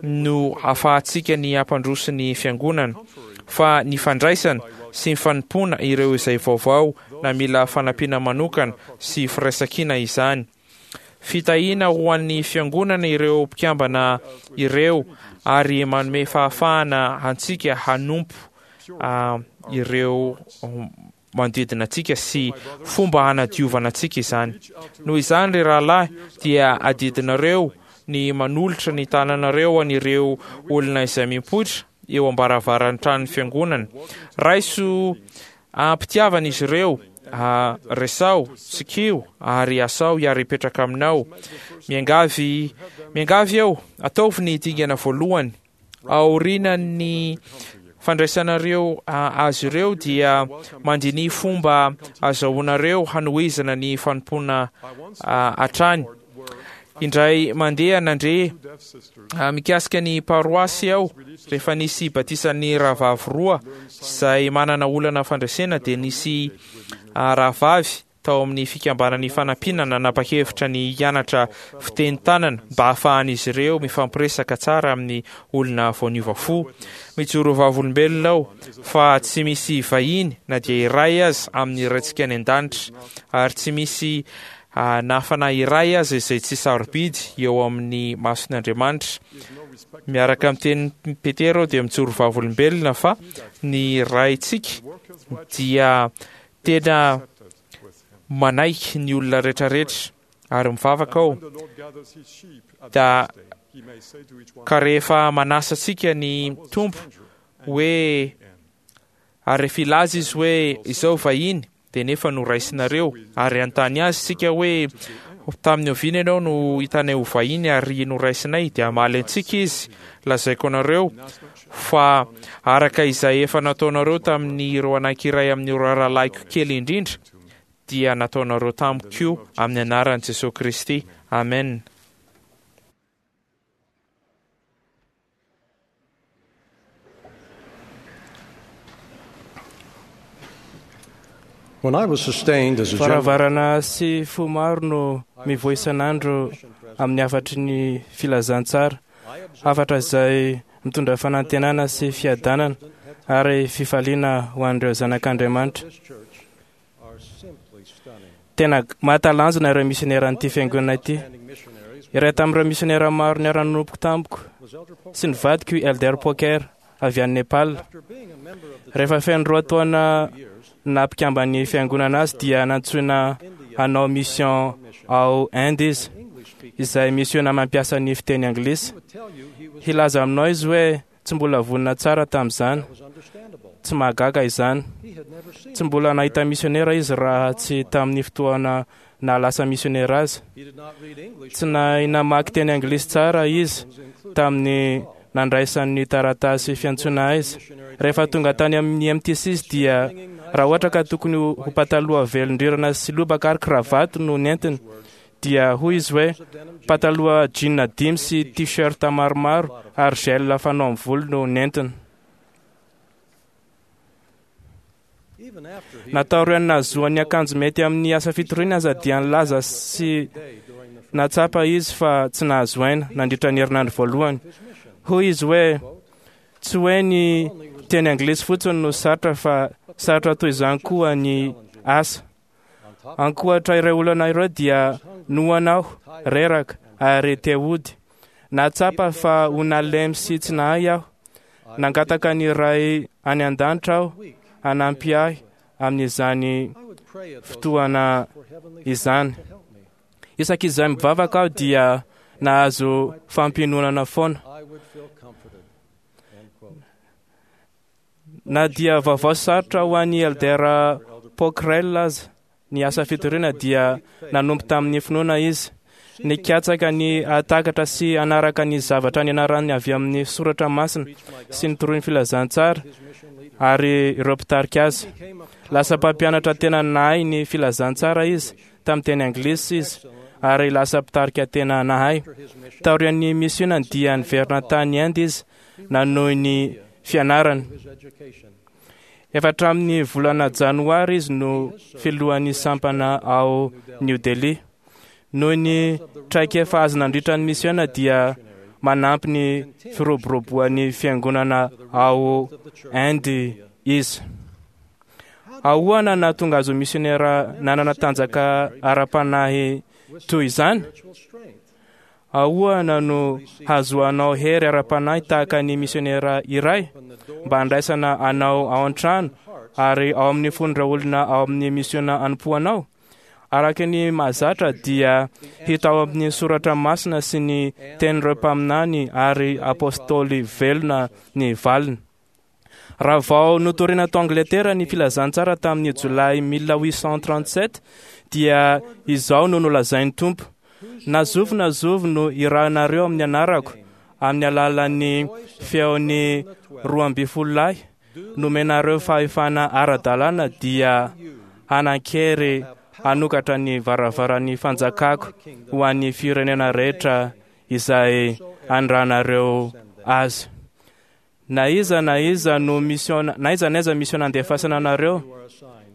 no afahantsika ny hampandroso ny fiangonana fa ny fandraisana sy ny fanompoana ireo izay vaovao na mila fanampiana manokana sy firaisankina izany. Fitahiana ho an'ny Fiangonana ireo mpikambana ireo ary manome fahafahana antsika hanompo ireo manodidina antsika sy fomba hanadiovana antsika izany. Noho izany, ry rahalahy, dia adidinareo ny manolotra ny tananareo an'ireo olona izay mipoitra. eo am-baravaran'ny tranon'ny fiangonana. Raiso am-pitiavana izy ireo, resaho, tsikiho ary asao hiara-hipetraka aminao. Miangavy, miangavy aho, ataovy ny dingana voalohany. Aorianan'ny fandraisanareo azy ireo dia mandiniha fomba azahoanareo hanohizana ny fanompoana hatrany. Indray mandeha nandre mikasika ny paroasy aho rehefa nisy batisan'ny rahavavy roa izay manana olana fandresena dia nisy rahavavy tao amin'ny fikambanan'ny fanampiana nanapa-kevitra ny hianatra fiteny tanana mba hahafahan'izy ireo mifampiresaka tsara amin'ny olona vao niova fo. Mijoro vavolombelona aho fa tsy misy vahiny na dia iray aza amin'ny Raintsika any An-danitra ary tsy misy na fanahy iray aza izay tsy sarobidy eo amin'ny mason'Andriamanitra. Miaraka amin'ny tenin'i Petera aho dia mijoro vavolombelona fa ny Raintsika dia tena manaiky ny olona rehetrarehetra ary mivavaka aho da ka rehefa manasa antsika ny Tompo hoe ary rehefa hilaza izy hoe izao vahiny dia nefa noraisinareo ary hanontany azy isika hoe tamin'ny oviana ianao no hitanay ho vahiny ary noraisinay dia hamaly antsika izy lazaiko anareo fa araka izay efa nataonareo tamin'ireo anankiray amin'ireo rahalahiko kely indrindra dia nataonareo tamiko koa amin'ny anaran'i Jesoa Kristy. Amen. When I was sustained as a general, Varavarana sy fo maro no mivoy isan'andro amin'ny hafatry ny filazantsara, hafatra izay mitondra fanantenana sy fiadanana ary fifaliana ho an'ireo zanak'Andriamanitra. Tena mahatalanjona ireo misioneran'ity fiangonana ity. Iray tamin'ireo misionera maro niara-nanompo tamiko sy ny vadiko i Elder Poker avy any Nepal. Rehefa feno 2 taona nampikamban'ny fiangonana azy dia nantsoina hanao mission ao Inde izy, izay misiona mampiasa ny fiteny anglisy. Hilaza aminao izy hoe tsy mbola vonona tsara tamin'izany. Tsy mahagaga izany. Tsy mbola nahita misionera izy raha tsy tamin'ny fotoana nahalasa misionera azy. Tsy nahay namaky teny anglisy tsara izy tamin'ny nandraisan'ny taratasy fiantsoana azy. Rehefa tonga tany amin'ny MTC izy dia raha ohatra ka tokony ho pataloha velondrirana sy lobaka ary kravato no nentiny, dia hoy izy hoe pataloha jean 5 sy t-shirt maromaro ary gel fanao amin'ny volo no nentiny. Natao ireo nahazoan'ny akanjo mety amin'ny asa fitoriana aza dia nilaza sy natsapa izy fa tsy nahazo aina nandritra ny herinandro voalohany. Hoy izy hoe tsy hoe ny teny anglisy fotsiny no sarotra fa sarotra toy izany koa ny asa. Ankoatra ireo olana ireo dia noana aho, reraka ary te hody. Nahatsapa fa ho nalemy sy tsy nahay aho. Nangataka ny Ray any an-danitra aho hanampy ahy amin'izany fotoana izany. Isaky izay mivavaka aho dia nahazo fampiononana foana. Na dia vaovao sarotra ho an'i Elder Pockrell aza ny asa fitoriana dia nanompo tamin'ny finoana izy. Nikatsaka ny hahatakatra sy hanaraka ny zavatra nianarany avy amin'ny soratra masina sy ny toroin'ny filazantsara ary ireo mpitarika azy. Lasa mpampianatra tena nahay ny filazantsara izy tamin'ny teny anglisy izy ary lasa mpitarika tena nahay. Taorian'ny misionany dia niverina tany Inde izy nanohy ny fianarany. Efa hatramin'ny volana janoary izy no filohan'ny sampana ao New Delhi. Noho ny traikefa azo nandritra ny misiona dia manampy ny firoboroboan'ny fiangonana ao Inde izy. Ahoana nahatonga azy ho misionera nanana tanjaka ara-panahy toy izany? Ahoana no hahazoanao hery ara-panahy tahaka ny misionera iray mba handraisana anao ao an-trano ary ao amin'ny fon'ireo olona ao amin'ny misiona anompoanao? Araka ny mahazatra dia hita ao amin'ny soratra masina sy ny tenin'ireo mpaminany ary apôstôly velona ny valiny. Raha vao notorina tao Angletera ny filazantsara tamin'ny Jolay 1837 dia izao no nolazain'ny Tompo: na zovy na zovy no irahanareo amin'ny anarako, amin'ny alalan'ny feon'ny 12 lahy nomenareo fahefana ara-dalàna, dia hanan-kery hanokatra ny varavaran'ny fanjakako ho an'ny firenena rehetra izay andrahanareo azy. Na iza na iza no mission, na iza na iza mission nandefasana anareo,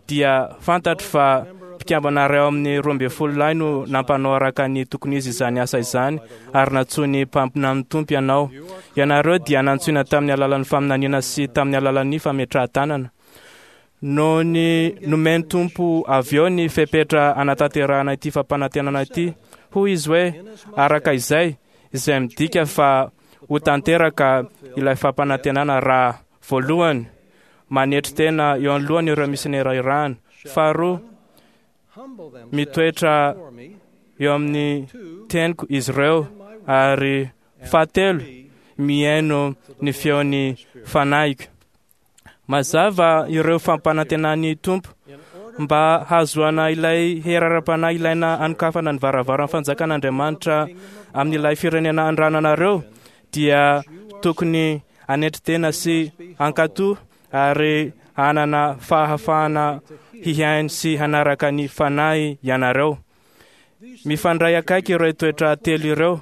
dia fantatro fa mpikambana iray ao amin'ny 12 lahy no nampanao araka ny tokony izy izany asa izany, ary nantsoin'ny mpaminan'ny Tompo ianao. Ianareo dia nantsoina tamin'ny alalan'ny faminaniana sy tamin'ny alalan'ny fametrahan-tanana. Noho ny nomen'ny Tompo avy eo ny fepetra anatanterahana ity fampanantenana ity, hoy izy hoe araka izay, izay midika fa ho tanteraka ilay fampanantenana raha voalohany manetry tena eo anoloany ireo misionera irahana, faharoa mitoetra eo amin'ny teniko izy ireo, ary fahatelo mihaino ny feon'ny fanahiko. Mazava ireo fampanantenan'ny Tompo mba hahazoana ilay hery ara-panahy ilaina hanokafana ny varavaran'ny fanjakan'Andriamanitra amin'ilay firenena andrananareo, dia tokony hanetry tena sy hankatò ary hanana fahafahana hihaino sy hanaraka ny fanahy ianareo. Mifandray akaiky ireo toetra telo ireo.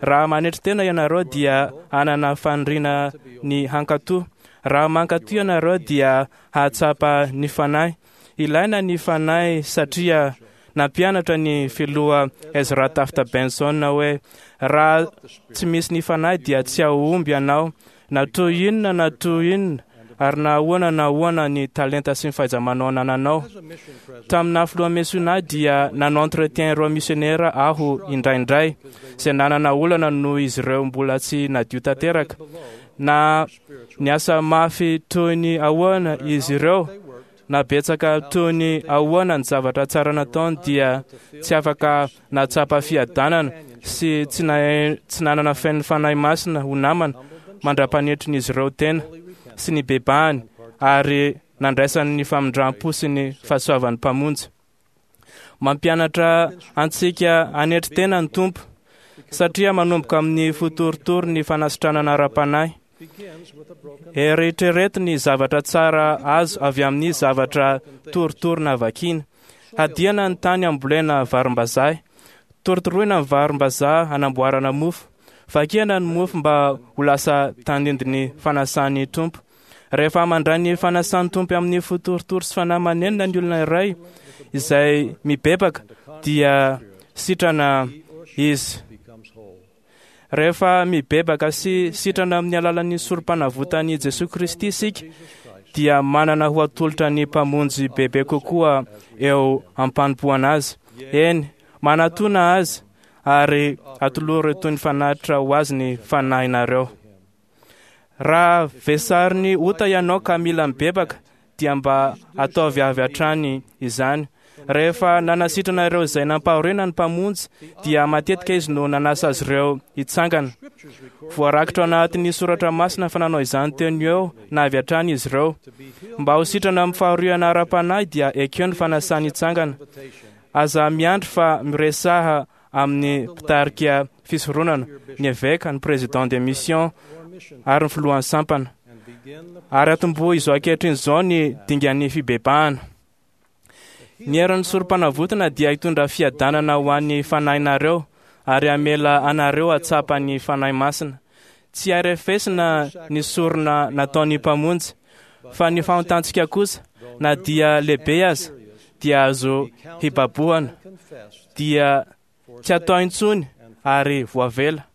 Raha manetry tena ianareo dia hanana faniriana ny hankatò. Raha mankatò ianareo dia hahatsapa ny fanahy. Ilaina ny fanahy satria nampianatra ny filoha Ezra Taft Benson hoe raha tsy misy ny fanahy dia tsy hahomby ianao, na toy inona na toy inona, ary na ahoana na ahoana ny talenta sy ny fahaiza-manao anananao. Tamin'ny filoha misiona dia nanao entretien ireo misionera aho indraindray, izay nanana olana noho izy ireo mbola tsy nadio tanteraka. Na niasa mafy toy ny ahoana izy ireo, na betsaka toy ny ahoana ny zavatra tsara nataony, dia tsy afaka nahatsapa fiadanana sy tsy nanana feno fanahy masina ho namana mandra-panetrin'izy ireo tena sy ny bebahany ary nandraisany ny famindram-po sy ny fahasoavan'ny Mpamonjy. Mampianatra antsika hanetry tena ny Tompo satria manomboka amin'ny fotorotoro ny fanasitranana ara-panahy. Eritrereto ny zavatra tsara azo avy amin'ny zavatra torotoro navakiana. Hadiana ny tany ambolena varimbazaha, torotoroina ny varimbazaha hanamboarana mofo. Vakiana ny mofo mba ho lasa tandindon'ny fanasan'ny Tompo. Rehefa mandray ny fanasan'ny Tompo amin'ny fotorotoro sy fanahy manenina ny olona iray izay mibebaka, dia sitrana izy. Rehefa mibebaka sy sitrana amin'ny alalan'ny sorom-panavotan'i Jesoa Kristy isika, dia manana ho atolotra ny Mpamonjy bebe kokoa eo am-panompoana azy. Eny, manatona azy ary atolory toy ny fanatitra ho azy ny fanahinareo. Raha vesarin'ny ota ianao ka mila mibebaka, dia mba ataovy avy hatrany izany. Rehefa nanasitrana ireo izay nampahoriana ny Mpamonjy, dia matetika izy no nanasa azy ireo hitsangana. Voarakitra ao anatin'ny soratra masina fa nanao izany teo no eo na avy hatrany izy ireo. Mba ho sitrana amin'ny fahoriana ara-panahy dia ekeo ny fanasany hitsangana. Aza miandry fa miresaha amin'ny mpitarika fisoronana, ny eveka, ny président des missions ary ny filohan'ny sampana. Ary atombohy izao ankehitriny izao ny dingan'ny fibebahana. Ny herin'ny sorom-panavotana dia hitondra fiadanana ho an'ny fanahinareo ary hamela anareo hatsapa ny Fanahy Masina. Tsy arefesina ny sorona nataon'ny Mpamonjy, fa ny fahotantsika kosa, na dia lehibe aza, dia azo hibabohana, dia tsy atao intsony ary voavela.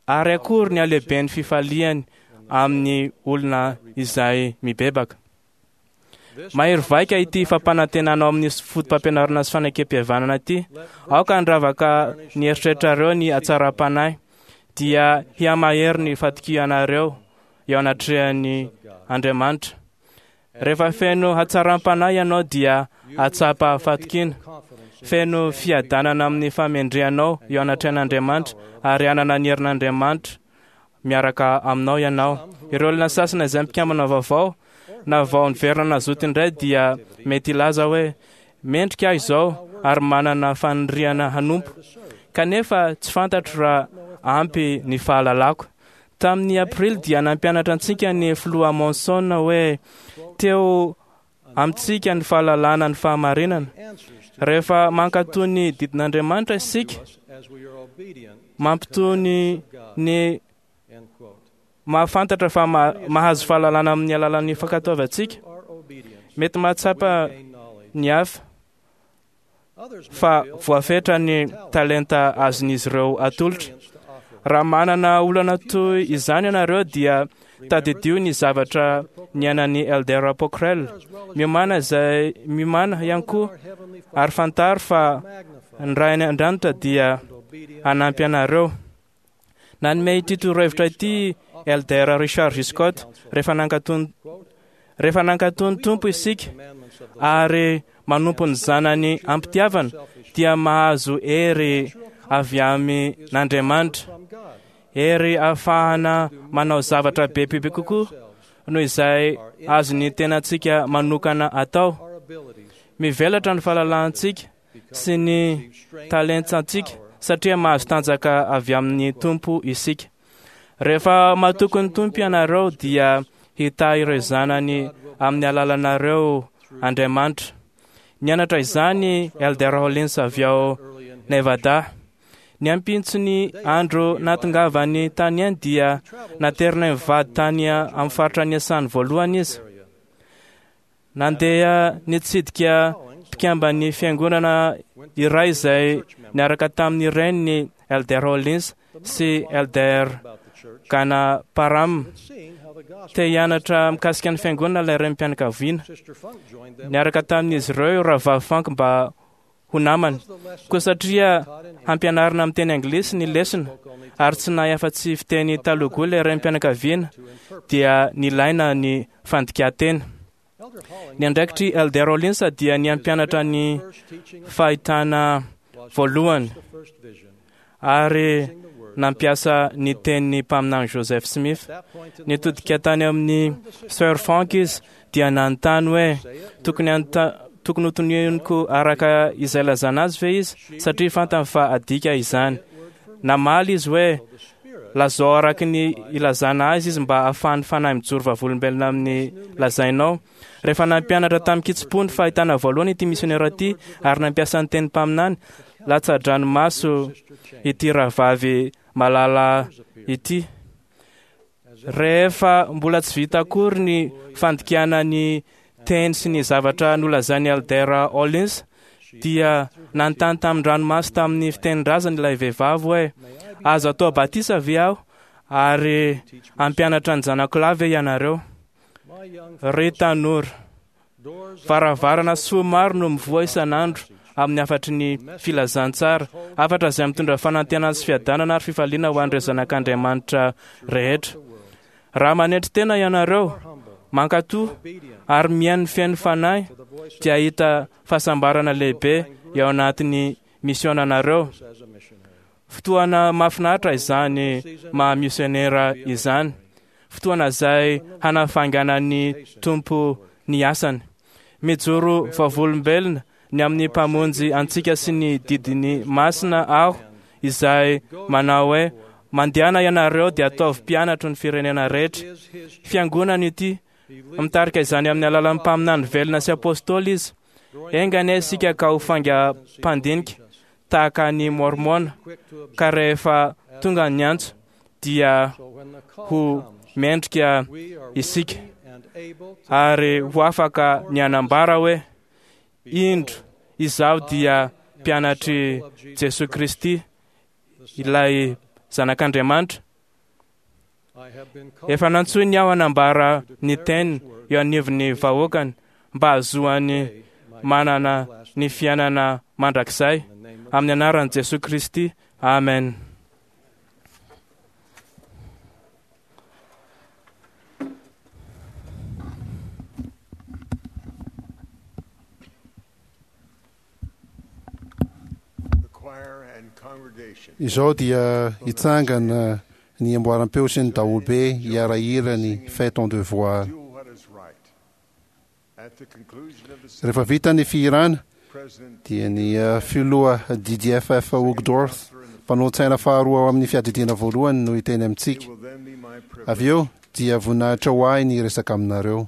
Ary akory ny halehiben'ny fifaliany amin'ny olona izay mibebaka. Mahery vaika ity fampanantenana ao amin'ny foto-pampianarana sy fanekem-pihavanana ity. Aoka handravaka ny eritreritrareo ny hatsaram-panahy, dia hihamahery ny fatokianareo eo anatrehan'ny Andriamanitra. Rehefa feno hatsaram-panahy ianao dia hahatsapa fatokiana, feno fiadanana amin'ny fahamendrehanao eo anatrehan'Andriamanitra ary hanana ny herin'Andriamanitra. miaraka aminao ianao. Ireo olona sasany izay mpikambana vaovao na vao niverina nazoto indray dia mety hilaza hoe mendrika aho izao ary manana faniriana hanompo, kanefa tsy fantatro raha ampy ny fahalalako. Tamin'ny Aprily dia nampianatra antsika ny filoha Monson hoe teo amintsika ny fahalalana ny fahamarinana. Rehefa mankatò ny didin'Andriamanitra isika, mampitony ny mahafantatra fa mahazo fahalalana amin'ny alalan'ny fankatoavantsika. Mety mahatsapa ny hafa fa voafetra ny talenta azon'izy ireo atolotra. Raha manana olana toy izany ianareo dia tadidio ny zavatra niainan'ny Elder Pockrell. Miomàna izay miomàna ihany koa ary fantaro fa ny Ray any an-danitra dia hanampy anareo. Nanome ity torohevitra ity Elder Richard G. Scott rehefa nankatò rehefa nankatò ny Tompo isika ary manompo ny zanany am-pitiavana dia mahazo hery avy amin'Andriamanitra. Hery ahafahana manao zavatra bebe kokoa noho izay azon'ny tenantsika manokana atao. Mivelatra ny fahalalantsika sy ny talentsantsika satria mahazo tanjaka avy amin'ny Tompo isika. Rehefa matoky ny Tompo ianareo dia hitahy ireo zanany amin'ny alalanareo Andriamanitra. Nianatra izany Elder Hollins avy ao Nevada. Ny ampitson'ny andro nahatongavany tany any dia naterina mivady tany amin'ny faritra niasany voalohany izy. Nandeha nitsidika mpikamban'ny fiangonana iray izay niaraka tamin'ny reniny Elder Hollins sy Elder Ganaparam. Te hianatra mikasika ny fiangonana ilay renim-pianakaviana. Niaraka tamin'izy ireo Rahavavy Funk mba ho namany. Koa satria hampianarina amin'ny teny anglisy ny lesona ary tsy nahay afa-tsy fiteny Telugu ilay renim-pianakaviana dia nilaina ny fandikan-teny. Ny andraikitr'i Elder Rollins dia ny hampianatra ny fahitana voalohany ary nampiasa ny tenin'ny mpaminany Joseph Smith. Nitodika tany amin'ny Sir Funk izy dia nanontany hoe tokony tokony hotononiko araka izay lazana azy ve izy satria fantany fa adika izany. Namaly izy hoe lazao araka ny ilazana azy izy mba ahafahan'ny fanahy mijoro vavolombelona amin'ny lazainao. Rehefa nampianatra tamin-kitsim-po ny fahitana voalohany ity misionera ity ary nampiasa ny teny mpaminany, latsa-dranomaso ity rahavavy malala ity. Rehefa mbola tsy vita akory ny fandikana ny teny sy ny zavatra nolazain'i Elder Hollins dia nanontany tamin-dranomaso tamin'ny fitenin-drazany ilay vehivavy hoe azo atao batisa ve aho ary hampianatra ny zanako lahy ve ianareo? Ry tanora, varavarana soa maro no mivoha isan'andro amin'ny hafatry ny filazantsara, hafatra izay mitondra fanantenana sy fiadanana ary fifaliana ho an'ireo zanak'Andriamanitra rehetra. Raha manetry tena ianareo, mankatò ary mihaino ny feno fanahy dia hahita fahasambarana lehibe eo anatin'ny misionanareo. Fotoana mahafinaritra izany maha misionera izany. Fotoana izay hanafainganan'ny Tompo ny asany. Mijoro vavolombelona ny amin'ny Mpamonjy antsika sy ny didiny masina aho izay manao hoe mandehana ianareo dia ataovy mpianatro ny firenena rehetra. Fiangonana ity, mitarika izany amin'ny alalan'ny mpaminany velona sy apôstôly izy. Enga anie isika ka ho faingam-pandinika tahaka ny Mormona ka rehefa tonga ny antso dia ho mendrika isika ary ho afaka ny hanambara hoe indro izaho dia mpianatr'i Jesoa Kristy ilay zanak'Andriamanitra. Efa nantsoiny aho hanambara ny teniny eo anivon'ny vahoakany mba hahazoany manana ny fiainana mandrakizay amin'ny anaran'i Jesoa Kristy. Amen. Izao dia hitsangana ny amboaram-peo sy ny daholobe hiara-hira ny Fais ton devoir. Rehefa vita ny fihirana dia ny filoha DDFF Uchtdorf, mpanolotsaina faharoa ao amin'ny fiadidiana voalohany no hiteny amintsika. Avy eo dia voninahitra ho ahy ny hiresaka aminareo.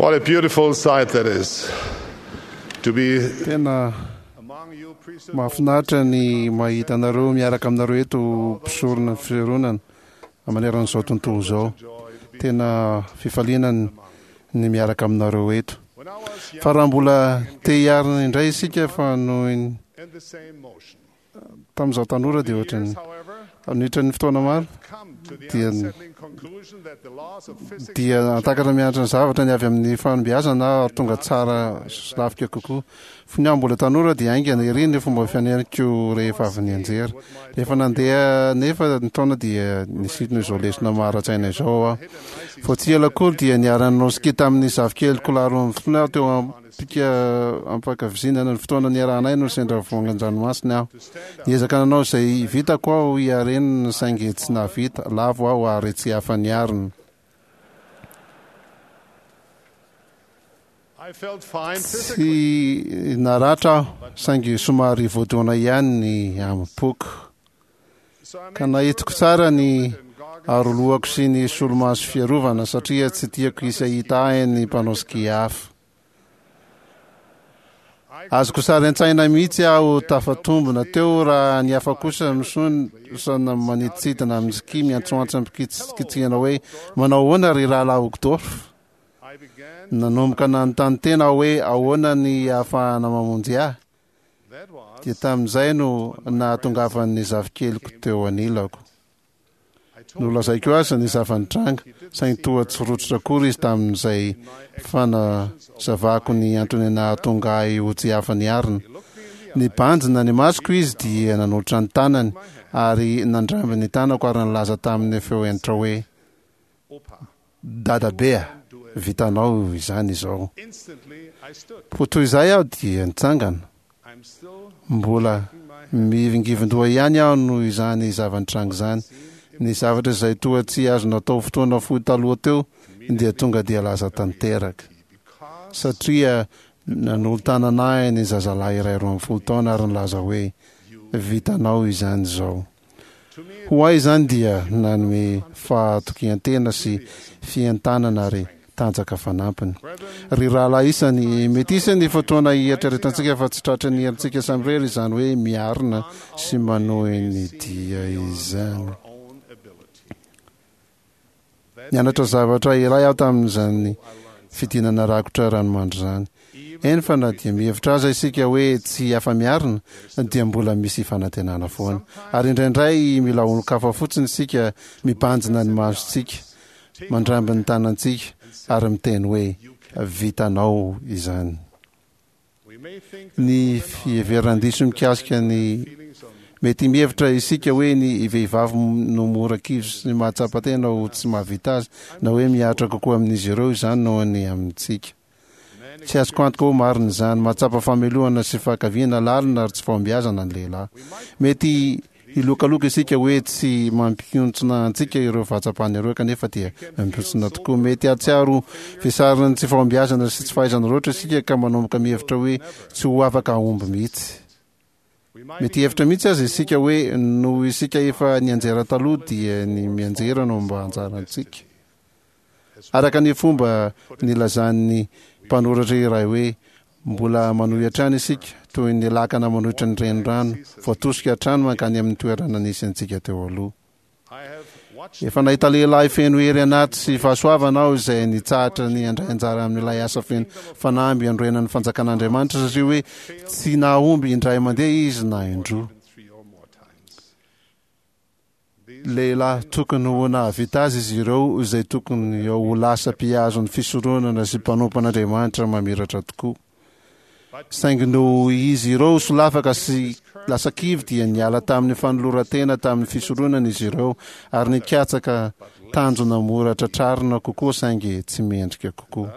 What a beautiful sight that is. To be Tena mahafinaritra ny mahita anareo miaraka aminareo eto mpisorona ny fironana maneran'izao tontolo izao. Tena fifaliana ny miaraka aminareo eto. Fa raha mbola te hiarina indray isika fa noho ny tamin'izaho tanora dia ohatran'ny niditra ny fotoana maro dia dia antakatra mianatra ny zavatra ny avy amin'ny fanombiazana ary tonga tsara sy lafika kokoa. Fony aho mbola tanora dia haingana ery ny fomba fianeriko rehefa avy nianjera. Rehefa nandeha nefa ny taona dia nisintona izao lesona maha-ara-tsaina izao aho. Vao tsy ela akory dia niara-nanao ski tamin'ny zafikeliko lahy 12 aho teo am-pika am-pankavizinana ny fotoana niarahanay no sendra voangan-dranomasina aho. Niezaka nanao izay vitako aho hiarenana saingy tsy nahavita, lavo aho ary tsy afa-niarina. Tsy naratra aho saingy somary voadona ihany ny amim-poko. Ka nahitiko tsara ny arolohako sy ny solomaso fiarovana satria tsy tiako hisy hahita ahy ny mpanao ski hafa. Azoko sary an-tsaina mihitsy aho tafatombina teo raha ny hafa kosa misontsona manidintsidina amin'ny ski miantsoantso am-pikitsikitsihana hoe, Manao ahoana ry Rahalahy Uchtdorf? Nanomboka nanontany tena aho hoe ahoana ny ahafahana mamonjy ahy. Dia tamin'izay no nahatongavan'ny zafikeliko teo anilako. Nolazaiko azy ny zava-nitranga, saingy toa tsy rototra akory izy tamin'izay fanazavako ny antony nahatonga ahy ho tsy afa-niarina. Nibanjina ny masoko izy dia nanolotra ny tanany ary nandramby ny tanako ary nilaza tamin'ny feo hentitra hoe, Dadabe a! Vitanao izany izao. Poa toy izay aho dia nitsangana. Mbola mihivingivin-doha ihany aho noho izany zava-nitranga izany. Ny zavatra izay toa tsy azo natao fotoana fohy taloha teo dia tonga dia lasa tanteraka. Satria nanolo-tanana ahy ny zazalahy iray 12 taona ary nilaza hoe, Vitanao izany izao. Ho ahy izany dia nanome fahatokian-tena sy fientanana ary tanjaka fanampiny. Ry rahalahy isany, mety hisy ny fotoana hieritreretantsika fa tsy tratry ny herintsika samirery izany hoe miarina sy manohy ny dia izany. Nianatra zavatra iray aho tamin'izany fidinana rakotra ranomandry izany. Eny fa na dia mihevitra aza isika hoe tsy afa-miarina, dia mbola misy fanantenana foana. Ary indraindray mila olon-kafa fotsiny isika mibanjina ny masontsika, mandramby ny tanantsika, ary miteny hoe, Vitanao izany. Ny fiheveran-diso mikasika ny Mety mihevitra isika hoe ny vehivavy no mora kivy sy mahatsapa tena ho tsy mahavita azy, na hoe mihatra kokoa amin'izy ireo izany noho ny amintsika. Tsy azoko antoka ho marina izany. Mahatsapa famelohana sy fahankaviana lalina ary tsy fahombiazana ny lehilahy. Mety Hilokaloka isika hoe tsy mampihontsona antsika ireo fahatsapana ireo kanefa dia mampihontsona tokoa. Mety hahatsiaro vesarin'ny tsy fahombiazana sy tsy fahaizana loatra isika ka manomboka mihevitra hoe tsy ho afaka hahomby mihitsy. Mety hihevitra mihitsy aza isika hoe noho isika efa nianjera taloha dia ny mianjera no mba anjarantsika. Araka ny fomba nilazan'ny mpanoratra iray hoe, Mbola manohy hatrany isika, toy ny lakana manohitra ny renirano, voatosika hatrany mankany amin'ny toerana nisy antsika teo aloha. Efa nahita lehilahy feno hery anaty sy fahasoavana aho izay nitsahatra ny handray anjara amin'ilay asa feno fanamby hanorenan'ny fanjakan'Andriamanitra satria hoe tsy nahomby indray mandeha izy na indroa. Lehilahy tokony ho nahavita azy izy ireo izay tokony ho lasa mpihazo ny fisoronana sy mpanompo an'Andriamanitra mamiratra tokoa. Saingy noho izy ireo solafaka sy lasa kivy dia niala tamin'ny fanoloran-tena tamin'ny fisoronana izy ireo ary nikatsaka tanjona mora tratrarina kokoa saingy tsy mendrika kokoa.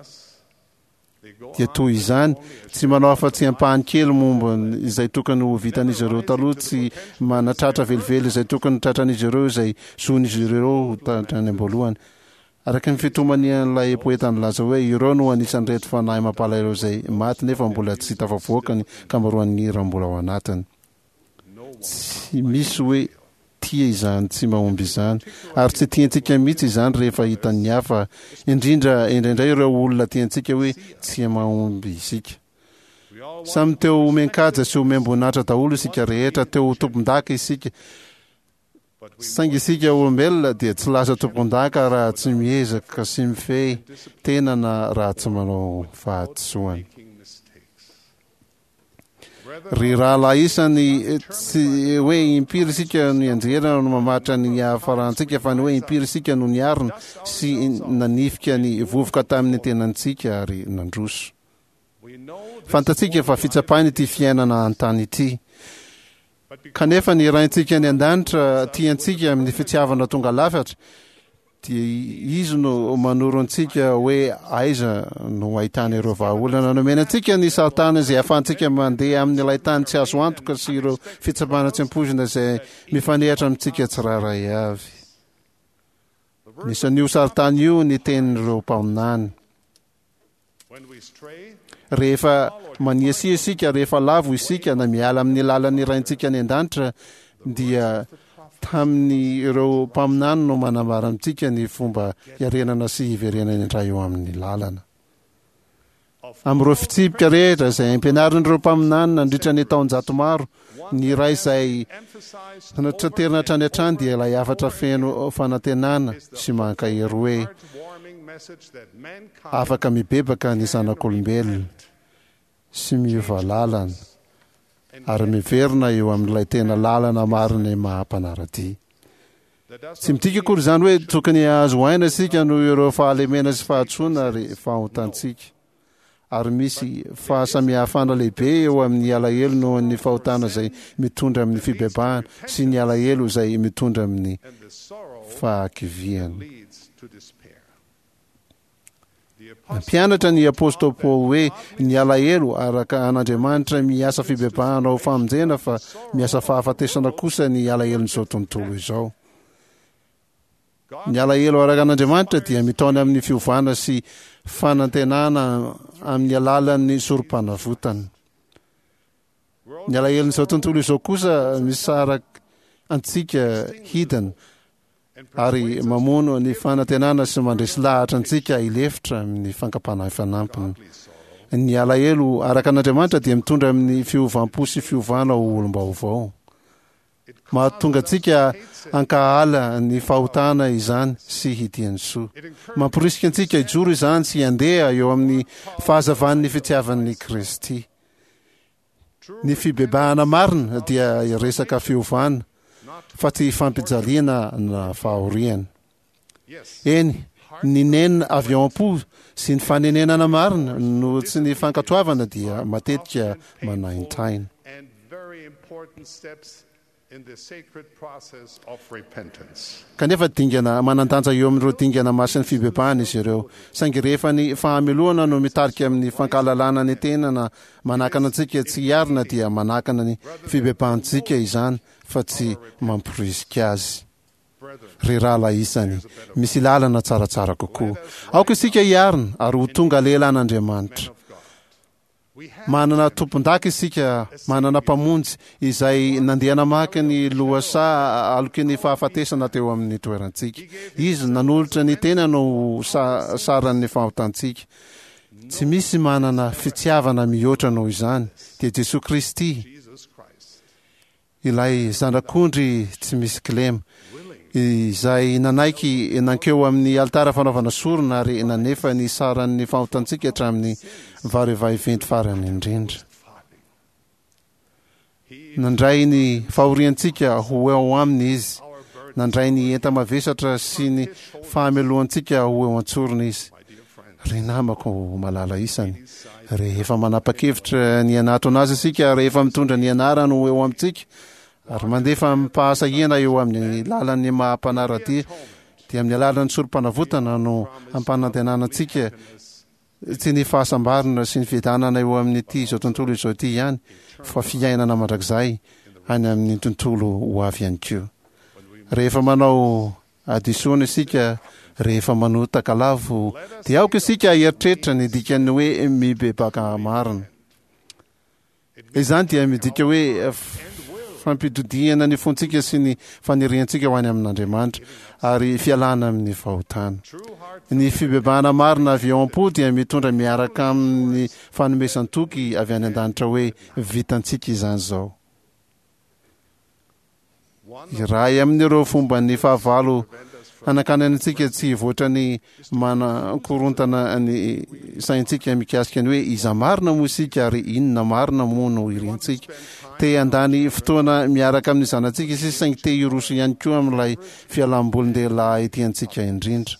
Dia toy izany, tsy manao afa-tsy ampahany kely momba izay tokony ho vitan'izy ireo taloha, tsy manatratra velively izay tokony tratran'izy ireo izay zon'izy ireo ho hatrany am-boalohany. Araka ny fitomanian'ilay poeta nilaza hoe, Ireo no anisan'ireto fanahy mampalahelo izay maty nefa mbola tsy tafavoaka ny ankamaroan'ny hira mbola ao anatiny. Tsy misy hoe tia izany tsy mahomby izany, ary tsy tiantsika mihitsy izany rehefa hitan'ny hafa, indrindra indraindray ireo olona tiantsika hoe tsy mahomby isika. Samy teo homen-kaja sy homem-boninahitra daholo isika rehetra, teo ho tompon-daka isika, saingy isika olombelona dia tsy lasa tompon-daka raha tsy miezaka sy mifehy tena na raha tsy manao fahadisoana. Ry rahalahy isany, tsy hoe impiry isika no nianjera no mamaritra ny niafarantsika, fa ny hoe impiry isika no niarina sy nanifika ny vovoka tamin'ny tenantsika ary nandroso. Fantatsika fa fitsapaina ity fiainana an-tany ity. Kanefa ny Raintsika any an-danitra tia antsika amin'ny fitiavana tonga lafatra, dia Izy no manoro antsika hoe aiza no ahitana ireo vahaolana. Nomena antsika ny saritany izay ahafahantsika mandeha amin'ilay tany tsy azo antoka sy ireo fitsapana tsy ampoizina izay mifanehatra amintsika tsirairay avy. Anisan'io saritany io ny tenin'ireo mpaminany. Rehefa maniasia isika, rehefa lavo isika na miala amin'ny lalan'ny Raintsika any an-danitra, dia tamin'ireo mpaminany no manambara amintsika ny fomba hiarenana sy hiverenana indray eo amin'ny lalana. Amin'ireo fitsipika rehetra izay ampianarin'ireo mpaminany nandritra ny taonjato maro, ny iray izay notraterina hatrany hatrany dia ilay hafatra feno fanantenana sy mankahery hoe afaka mibebaka ny zanak'olombelona sy miova lalana ary miverina eo amin'ilay tena lalana marina maha mpanara-dia. Tsy midika akory izany hoe tokony hahazo aina isika noho ireo fahalemena sy fahadisoana ary fahotantsika. Ary misy fahasamihafana lehibe eo amin'ny alahelo noho ny fahotana izay mitondra amin'ny fibebahana sy ny alahelo izay mitondra amin'ny fahakiviana. Nampianatra ny apostoly Paoly hoe ny alahelo araka an'Andriamanitra miasa fibebahana ho famonjena fa miasa fahafatesana kosa ny alahelon'izao tontolo izao. Ny alahelo araka an'Andriamanitra dia mitaona amin'ny fiovana sy fanantenana amin'ny alalan'ny sorom-panavotana. Ny alahelon'izao tontolo izao kosa misaraka antsika hidina ary mamono ny fanantenana sy mandresy lahatra antsika hilefitra amin'ny fankam-panahy fanampiny. Ny alahelo araka an'Andriamanitra dia mitondra amin'ny fiovam-po sy fiovana ho olom-baovao. Mahatonga antsika hankahala ny fahotana izany sy hitia ny soa. Mamporisika antsika hijoro izany sy handeha eo amin'ny fahazavan'ny fitiavan'i Kristy. Ny fibebahana marina dia resaka fiovana fa tsy fampijaliana na fahoriana. Eny, ny nenina avy ao am-po sy ny fanenenana marina no tsy ny fankatoavana dia matetika manaintaina. Kanefa dingana manan-danja eo amin'ireo dingana masin'ny fibebahana izy ireo. Saingy rehefa ny fahamelohana no mitarika amin'ny fankahalalana ny tena na manakana antsika tsy hiarina dia manakana ny fibebahantsika izany fa tsy mamporisika azy. Ry rahalahy isany, misy lalana tsaratsara kokoa. Aoka isika hiarina ary ho tonga lehilahin'Andriamanitra. Manana tompon-daka isika, manana Mpamonjy izay nandeha namaky ny lohasaha aloky ny fahafatesana teo amin'ny toerantsika. Izy nanolotra ny tenany ho saran'ny fahotantsika. Tsy misy manana fitiavana mihoatra noho izany, dia Jesoa Kristy. Ilay Zanak'ondry tsy misy kilema, izay nanaiky nankeo amin'ny alitara fanaovana sorona ary nanefa ny saran'ny fahotantsika hatramin'ny varivaiventy farany indrindra. Nandray ny fahoriantsika ho eo aminy Izy, nandray ny enta-mavesatra sy ny fahamelohantsika ho eo an-tsorony Izy. Ry namako malala isany, rehefa manapa-kevitra ny hanatona Azy isika, rehefa mitondra ny anarany ho eo amintsika, ary mandefa amim-pahasahiana eo amin'ny lalan'ny maha-mpanara-dia, dia amin'ny alalan'ny Sorompanavotana no hampanantenana antsika tsy ny fahasambarana sy ny fiadanana eo amin'ity izao tontolo izao ity ihany, fa fiainana mandrakizay any amin'ny tontolo ho avy ihany koa. Rehefa manao Hadisoana isika rehefa manota ka lavo, dia aoka isika hieritreritra ny dikan'ny hoe mibebaka marina. Izany dia midika hoe fampitodihana ny fontsika sy ny faniriantsika ho any amin'Andriamanitra ary fialana amin'ny fahotana. Ny fibebahana marina avy ao am-po dia mitondra miaraka amin'ny fanomezan-toky avy any an-danitra hoe vitantsika izany izao. Iray amin'ireo fomban'ny fahavalo hanakanana antsika tsy hivoatra ny manakorontana ny saintsika mikasika ny hoe iza marina moa isika ary inona marina moa no irintsika. Te handany fotoana miaraka amin'ny zanatsika isika saingy te hiroso ihany koa amin'ilay fialambolin-dehilahy tiantsika indrindra.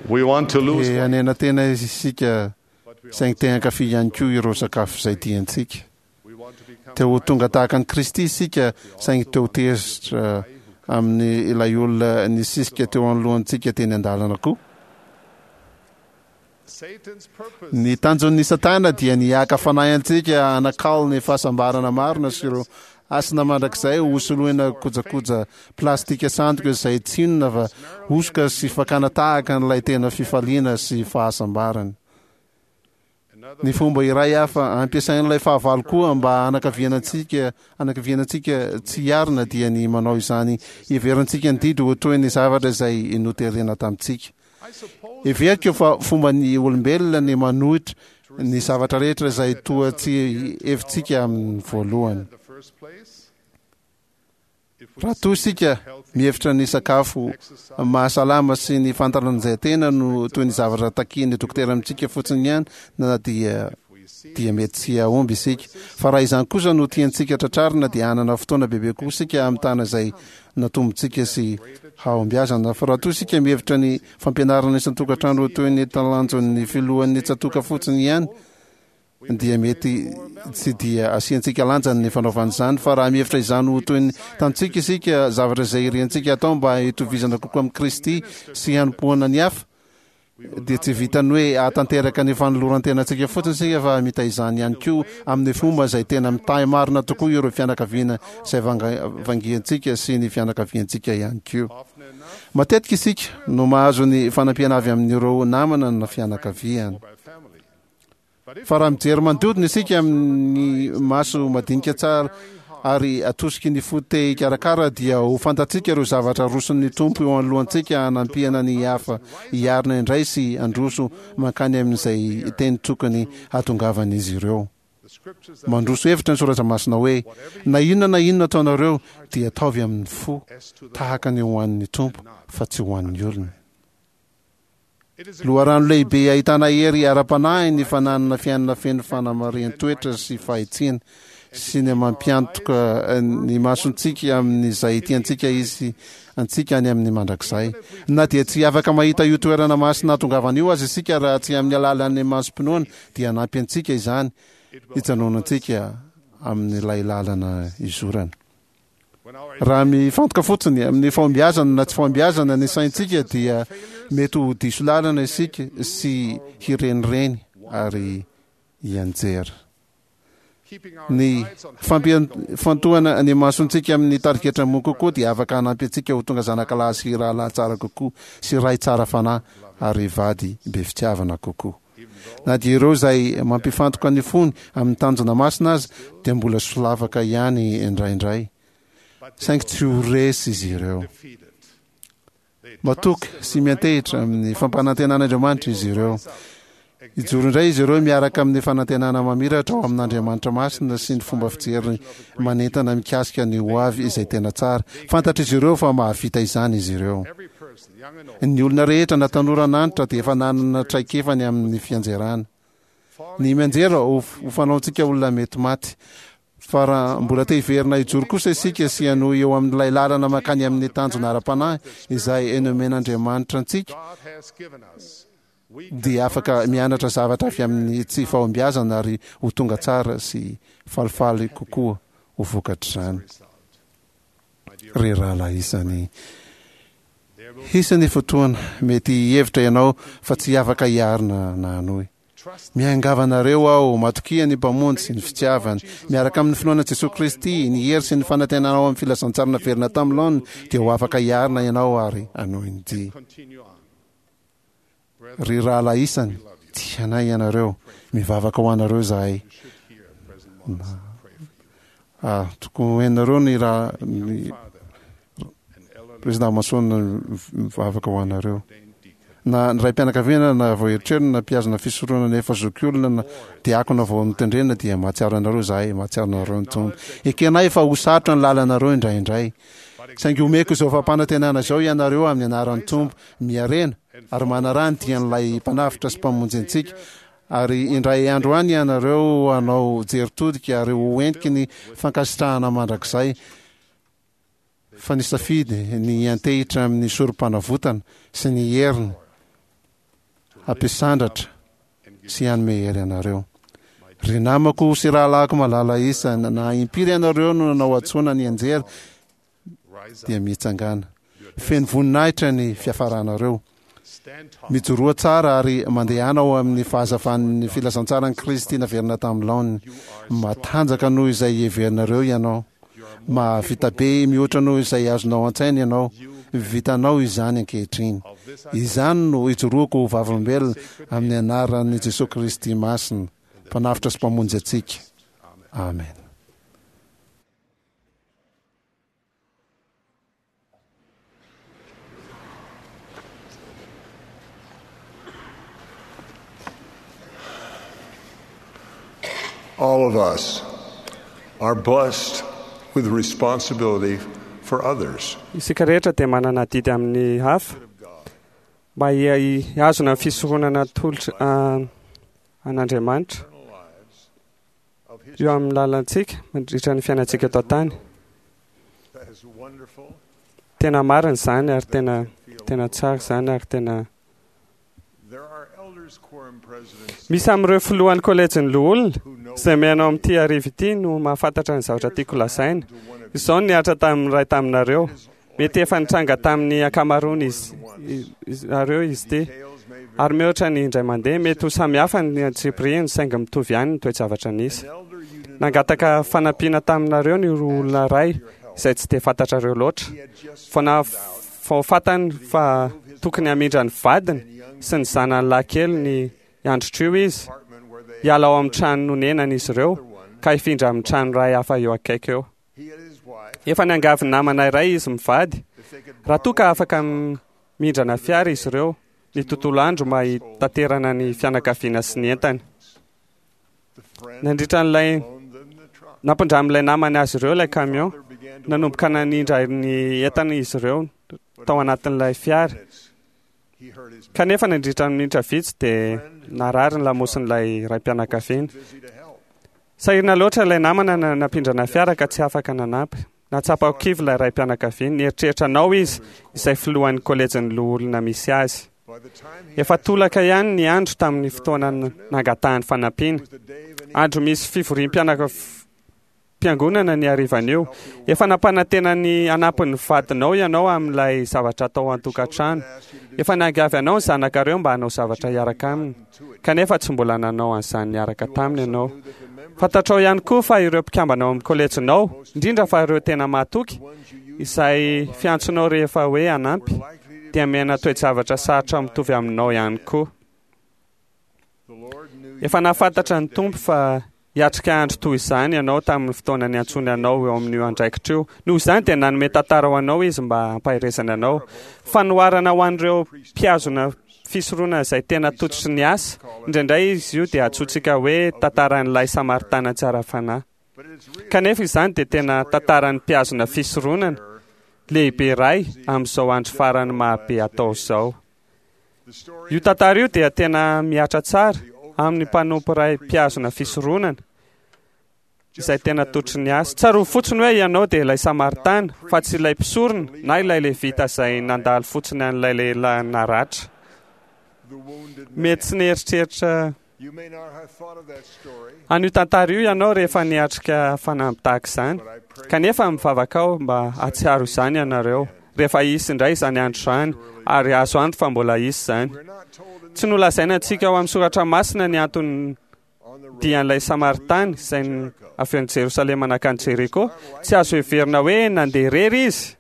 Te hanena tena isika saingy te hankafy ihany koa ireo sakafo izay tiantsika. Te ho tonga tahaka an'i Kristy isika saingy te ho tezitra amin'ny ilay olona nisisika teo anoloantsika teny an-dalana koa. Ny tanjon'ny Satana dia ny haka fanahy antsika hanakalo ny fahasambarana marina sy ireo hasina mandrakizay ho soloina kojakoja plastika sandoka izay tsy inona fa hosoka sy fakana tahaka an'ilay tena fifaliana sy fahasambarana. Ny fomba iray hafa ampiasain'ilay fahavalo koa mba hanakaviana antsika hanakiviana antsika tsy hiarina dia ny manao izany hiheverantsika ny didy ho toy ny zavatra izay noterena tamintsika. Heveriko fa fomban'ny olombelona ny manohitra ny zavatra rehetra izay toa tsy hevitsika amin'ny voalohany. Raha toa isika mihevitra ny sakafo mahasalama sy ny fantaranjantena no toy ny zavatra takian'ny dokotera amintsika fotsiny ihany na dia dia mety tsy hahomby isika. Fa raha izany kosa no tiantsika tratrarina dia hanana fotoana bebe kokoa isika hamitana izay natombontsika sy hahombiazana. Fa raha toa isika mihevitra ny fampianarana isan-tokantrano ho toy ny talanjon'ny filohan'ny tsatoka fotsiny ihany dia mety tsy dia asiantsika lanjany ny fanaovana izany. Fa raha mihevitra izany ho toy ny tantsika isika, zavatra izay iriantsika atao mba hitovizana kokoa amin'i Kristy sy hanompoana ny hafa, dia tsy vitan'ny hoe hahatanteraka ny fanoloran-tenantsika fotsiny isika fa hamita izany ihany koa amin'ny fomba izay tena mitahy marina tokoa ireo fianakaviana izay vangiantsika sy ny fianakaviantsika ihany koa. Matetika isika no mahazo ny fanampiana avy amin'ireo namana na fianakaviana. Fa raha mijery manodidina isika amin'ny maso madinika tsara ary atosiky ny fo te hikarakara dia ho fantatsika ireo zavatra aroson'ny Tompo eo anoloantsika hanampiana ny hafa hiarina indray sy handroso mankany amin'izay teny tokony hahatongavan'izy ireo. Mandroso hevitra ny Soratra Masina hoe, Na inona na inona ataonareo dia ataovy amin'ny fo tahaka ny ho an'ny Tompo fa tsy ho an'ny olona. Loharano lehibe ahitana hery ara-panahy ny fananana fiainana feno fanamarihan-toetra sy fahitsiana, sy ny mampiantoka ny masontsika amin'izay tiantsika hisy antsika any amin'ny mandrakizay. Na dia tsy afaka mahita io toerana masina hahatongavana io aza isika raha tsy amin'ny alalan'ny masom-pinoana, dia hanampy antsika izany hijanonantsika amin'ilay lalana izorana. Raha mifantoka fotsiny amin'ny fahombiazana na tsy fahombiazana ny saintsika dia mety ho diso lalana isika sy hirenireny ary hianjera. Ny fampifantohana ny masontsika amin'ny tarigetra ambony kokoa dia afaka hanampy antsika ho tonga zanakalahy sy rahalahy tsara kokoa sy ray tsara fanahy ary vady be fitiavana kokoa. Na dia ireo izay mampifantoka ny fony amin'ny tanjona masina aza dia mbola solafaka ihany indraindray, saingy tsy ho resy izy ireo. Matoky sy miantehitra amin'ny fampanantenan'Andriamanitra izy ireo. Hijoro indray izy ireo miaraka amin'ny fanantenana mamiratra ao amin'Andriamanitra masina sy ny fomba fijery manentana mikasika ny hoavy izay tena tsara. Fantatr'izy ireo fa mahavita izany izy ireo. Ny olona rehetra na tanora na antitra dia efa nanana traikefa ny amin'ny fianjerana. Ny mianjera ho fanaontsika olona mety maty. Fa raha mbola te hiverina hijoro kosa isika sy hanohy eo amin'ilay lalana mankany amin'ny tanjona ara-panahy izay nomen'Andriamanitra antsika, dia afaka mianatra zavatra avy amin'ny tsy fahombiazana ary ho tonga tsara sy falifaly kokoa ho vokatr'izany. Ry rahalahy isany, hisy ny fotoana mety hihevitra ianao fa tsy afaka hiarina na hanohy. Miangavy anareo aho, matokia ny Mpamonjy sy ny fitiavany. Miaraka amin'ny finoana Jesoa Kristy, ny hery sy ny fanantenana ao amin'ny filazantsara naverina tamin'ny laoniny, dia ho afaka hiarina ianao ary hanohy ny dia. Ry rahalahy isany, tianay ianareo. Mivavaka ho anareo izahay. Ah, tokony ho henonareo ny raha ny Président Mason mivavaka ho anareo. Na ny raim-pianakaviana na vao eritreriny na mpihazona fisoronana efa zokiolona na diakona vao notendrena dia mahatsiaro anareo izahay, mahatsiaro anareo ny Tompo. Ekenay fa ho sarotra ny lalanareo indraindray. Saingy omeko izao fampanantenana izao ianareo amin'ny anaran'ny Tompo, miharena ary manaraha ny dian'ilay Mpanavotra sy Mpamonjy antsika, ary indray andro any ianareo hanao jery todika ary ho heniky ny fankasitrahana mandrakizay fa nisafidy ny hiantehitra amin'ny sorom-panavotana sy ny heriny hampisandratra sy hanome hery anareo. Ry namako sy rahalahiko malala isany, na impiry ianareo no nanao hadisoana nianjera, dia mitsangàna. Feno voninahitra ny fiafaranareo. Mijoroa tsara ary mandehana ao amin'ny fahazavan'ny filazantsaran'i Kristy naverina tamin'ny laoniny. Matanjaka noho izay heverinareo ianao. Mahavita be mihoatra noho izay azonao an-tsaina ianao. Vitanao izany ankehitriny. Izany no ijoroako ho vavolombelona amin'ny anaran'i Jesoa Kristy Masina, Mpanavotra sy Mpamonjy antsika. Amen. All of us are blessed with responsibility for others. Isika rehetra dia manana adidy amin'ny hafa mba hihazona ny fisoronana atolotra an'Andriamanitra eo amin'ny lalantsika mandritra ny fiainantsika eto an-tany. Tena marina izany ary tena tena tsara izany ary tena Misy amin'ireo filohan'ny kolejin'ny loholona izay mihaino amin'ity hariva ity no mahafantatra ny zavatra tiako lazaina. Izao no nihatra tamin'ny iray taminareo. Mety efa nitranga tamin'ny ankamaroany izy areo izy ity. Ary mihoatra ny indray mandeha, mety ho samy hafa ny antsipiriany saingy mitovy ihany ny toe-javatra nisy. Nangataka fanampiana taminareo ny olona iray izay tsy dia fantatrareo loatra. Vao vao fantany fa tokony hamindra ny vadiny sy ny zanany lahy kely ny androtr'io izy, hiala ao amin'ny trano nonenany izy ireo ka hifindra amin'ny trano iray hafa eo akaiky eo. Efa niangavy namana iray izy mivady raha toa ka afaka mindrana fiara izy ireo ny tontolo andro mba hitaterana ny fianakaviana sy ny entany. Nandritra an'ilay nampindramin'ilay namany azy ireo ilay camion, nanomboka nanindra ny entana izy ireo tao anatin'ilay fiara. Kanefa nandritra ny minitra vitsy dia narary ny lamosin'ilay raim-pianakaviana. Sahirana loatra ilay namana nampindrana fiara ka tsy afaka nanampy. Nahatsapa ho kivy ilay raim-pianakaviana. Nieritreritra anao izy, izay filohan'ny kolejin'ny loholona misy azy. Efa tolaka ihany ny andro tamin'ny fotoana nangatahany fanampiana. Andro misy fivoriam-piangonana ny harivan'io. Efa nampanantena ny hanampy ny vadinao ianao amin'ilay zavatra atao an-tokantrano. Efa niangavy anao ny zanakareo mba hanao zavatra hiaraka aminy, kanefa tsy mbola nanao an'izany niaraka taminy ianao. Fantatrao ihany koa fa ireo mpikambana ao amin'ny kolejinao, indrindra fa ireo tena mahatoky, izay fiantsonao rehefa hoe hanampy, dia miaina toe-javatra sarotra mitovy aminao ihany koa. Efa nahafantatra ny Tompo fa hiatrika andro toy izany ianao tamin'ny fotoana niantsoany anao eo amin'io andraikitra io. Noho izany dia nanome tantara ho anao Izy mba hampaherezany anao. Fanoharana ho an'ireo mpihazona fisoronana izay tena tototry ny asa. Indraindray izy io dia antsointsika hoe tantaran'ilay Samaritana tsara fanahy. Kanefa izany dia tena tantaran'ny mpihazona fisoronana lehibe iray amin'izao andro farany mahabe atao izao. Io tantara io dia tena mihatra tsara amin'ny mpanompo iray mpihazona fisoronana izay tena tototry ny asa. Tsarovy fotsiny hoe ianao dia ilay Samaritana, fa tsy ilay mpisorona na ilay Levita izay nandalo fotsiny an'ilay lehilahy naratra. Mety tsy nieritreritra an'io tantara io ianao rehefa niatrika fanamby tahaka izany, kanefa mivavaka aho mba hahatsiaro izany ianareo rehefa hisy indray izany andro izany, ary azo antoka fa mbola hisy izany. Tsy nolazaina antsika ao amin'ny soratra masina ny antony dian'ilay Samaritana izay avy any Jerosalema nankany Jeriko. Tsy azo heverina hoe nandeha irery izy,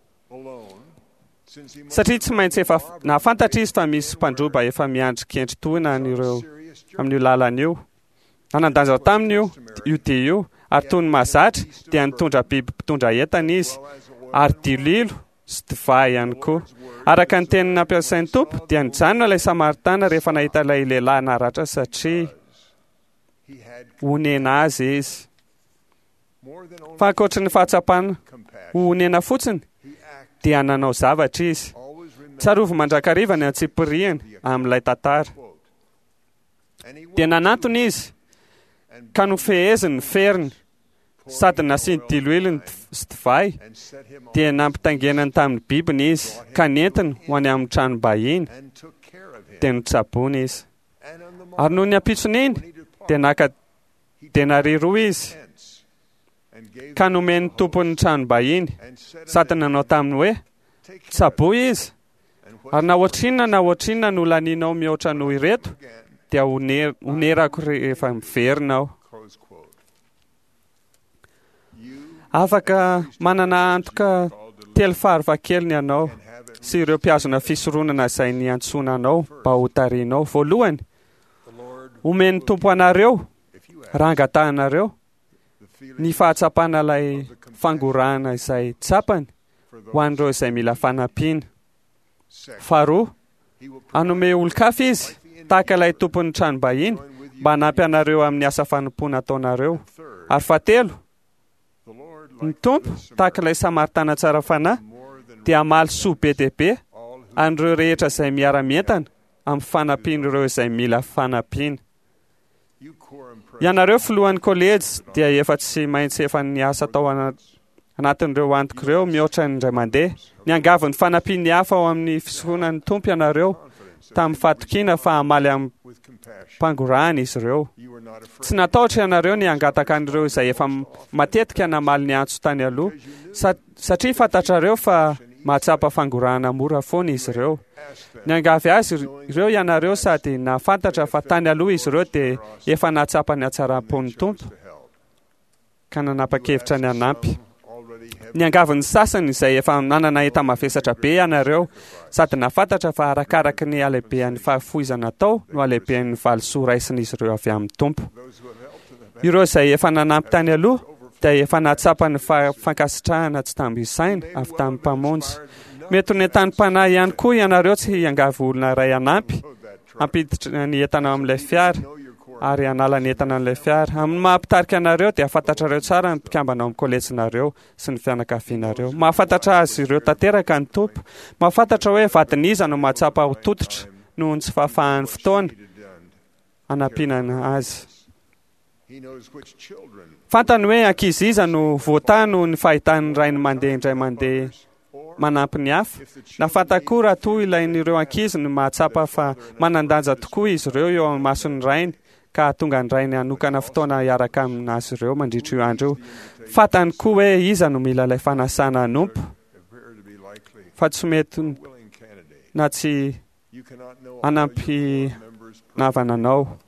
satria tsy maintsy efa nahafantatra izy fa misy mpandroba efa miandry kendry tohina an'ireo amin'io lalana io. Nanan-danja taminy io io dia io, ary toy ny mahazatra dia nitondra biby mpitondra entana izy, ary dililo sy divay ihany koa. Araka ny teny nampiasain'ny Tompo, dia nijanona ilay Samaritana rehefa nahita ilay lehilahy naratra satria honena azy izy. Fa ankoatry ny fahatsapana ho honena fotsiny, dia nanao zavatra izy. Tsarovy mandrakariva ny antsipiriany amin'ilay tantara. Dia nanantona izy, ka nofeheziny ny feriny, sady nasiany diloilo sy divay, dia nampitaingenany tamin'ny bibiny izy, ka nentiny ho any amin'ny tranom-bahiny, dia notsaboiny izy. Ary nony ampitson'iny, dia naka denaria roa izy, ka nomen'ny tompon'ny tranom-bahiny, sady nanao taminy hoe, Tsaboy izy, ary na ohatrinona na ohatrinona no lanianao mihoatra noho ireto, dia honerako rehefa miverina aho. Afaka manana antoka telo fahafahakeliny ianao sy ireo mpihazona fisoronana izay niantsoana anao mba ho tarihinao. Voalohany, omen'ny Tompo anareo raha angatahanareo ny fahatsapana ilay fangorahana izay tsapany ho an'ireo izay mila fanampiana. Faharoa, hanome olon-kafa izy tahaka ilay tompon'ny tranom-bahiny mba hanampy anareo amin'ny asa fanompoana ataonareo. Ary fahatelo, ny Tompo tahaka ilay Samaritana tsara fanahy dia hamaly soa be dia be an'ireo rehetra izay miara-mientana amin'ny fanampian'ireo izay mila fanampiana. Ianareo filohan'ny kolejy dia efa tsy maintsy efa niasa tao anatin'ireo antoko ireo mihoatra ny indray mandeha. Niangavy ny fanampian'ny hafa ao amin'ny fisoronan'ny Tompo ianareo tamin'ny fahatokiana fa hamaly amim-pangorahana izy ireo. Tsy natahotra ianareo ny hangataka an'ireo izay efa matetika namaly ny antso tany aloha, satria fantatrareo fa mahatsapa fangorahana mora foana izy ireo. Niangavy azy ireo ianareo sady nahafantatra fa tany aloha izy ireo dia efa nahatsapa ny hatsaram-pon'ny Tompo ka nanapa-kevitra ny hanampy. Niangavy ny sasany izay efa nanana enta-mavesatra be ianareo sady nahafantatra fa arakaraky ny halehibehan'ny fahafoizana atao no halehiben'ny valisoa raisin'izy ireo avy amin'ny Tompo. Ireo izay efa nanampy tany aloha dia efa nahatsapa ny fankasitrahana tsy tambo isaina avy tamin'ny Mpamonjy. Mety ho nentanim-panahy ihany koa ianareo tsy hiangavy olona iray hanampy hampiditra ny entana ao amin'ilay fiara ary hanala ny entana amin'ilay fiara. Amin'ny maha mpitarika anareo dia fantatrareo tsara ny mpikambana ao amin'ny kolejinareo sy ny fianakavianareo. Mahafantatra azy ireo tanteraka ny Tompo. Mahafantatra hoe vadin'iza no mahatsapa ho tototra noho ny tsy fahafahan'ny fotoana hanampiana azy. Fantany hoe ankizy iza no voatahy noho ny fahitan'ny rainy mandeha indray mandeha manampy ny hafa. Na fantany koa raha toa ilain'ireo ankizy ny mahatsapa fa manan-danja tokoa izy ireo eo amin'ny mason'ny rainy ka hahatonga ny rainy hanokana fotoana hiaraka amin'azy ireo mandritra io andro io. Fantany koa hoe iza no mila ilay fanasana hanompo fa tsy mety na tsy hanampy navana anao.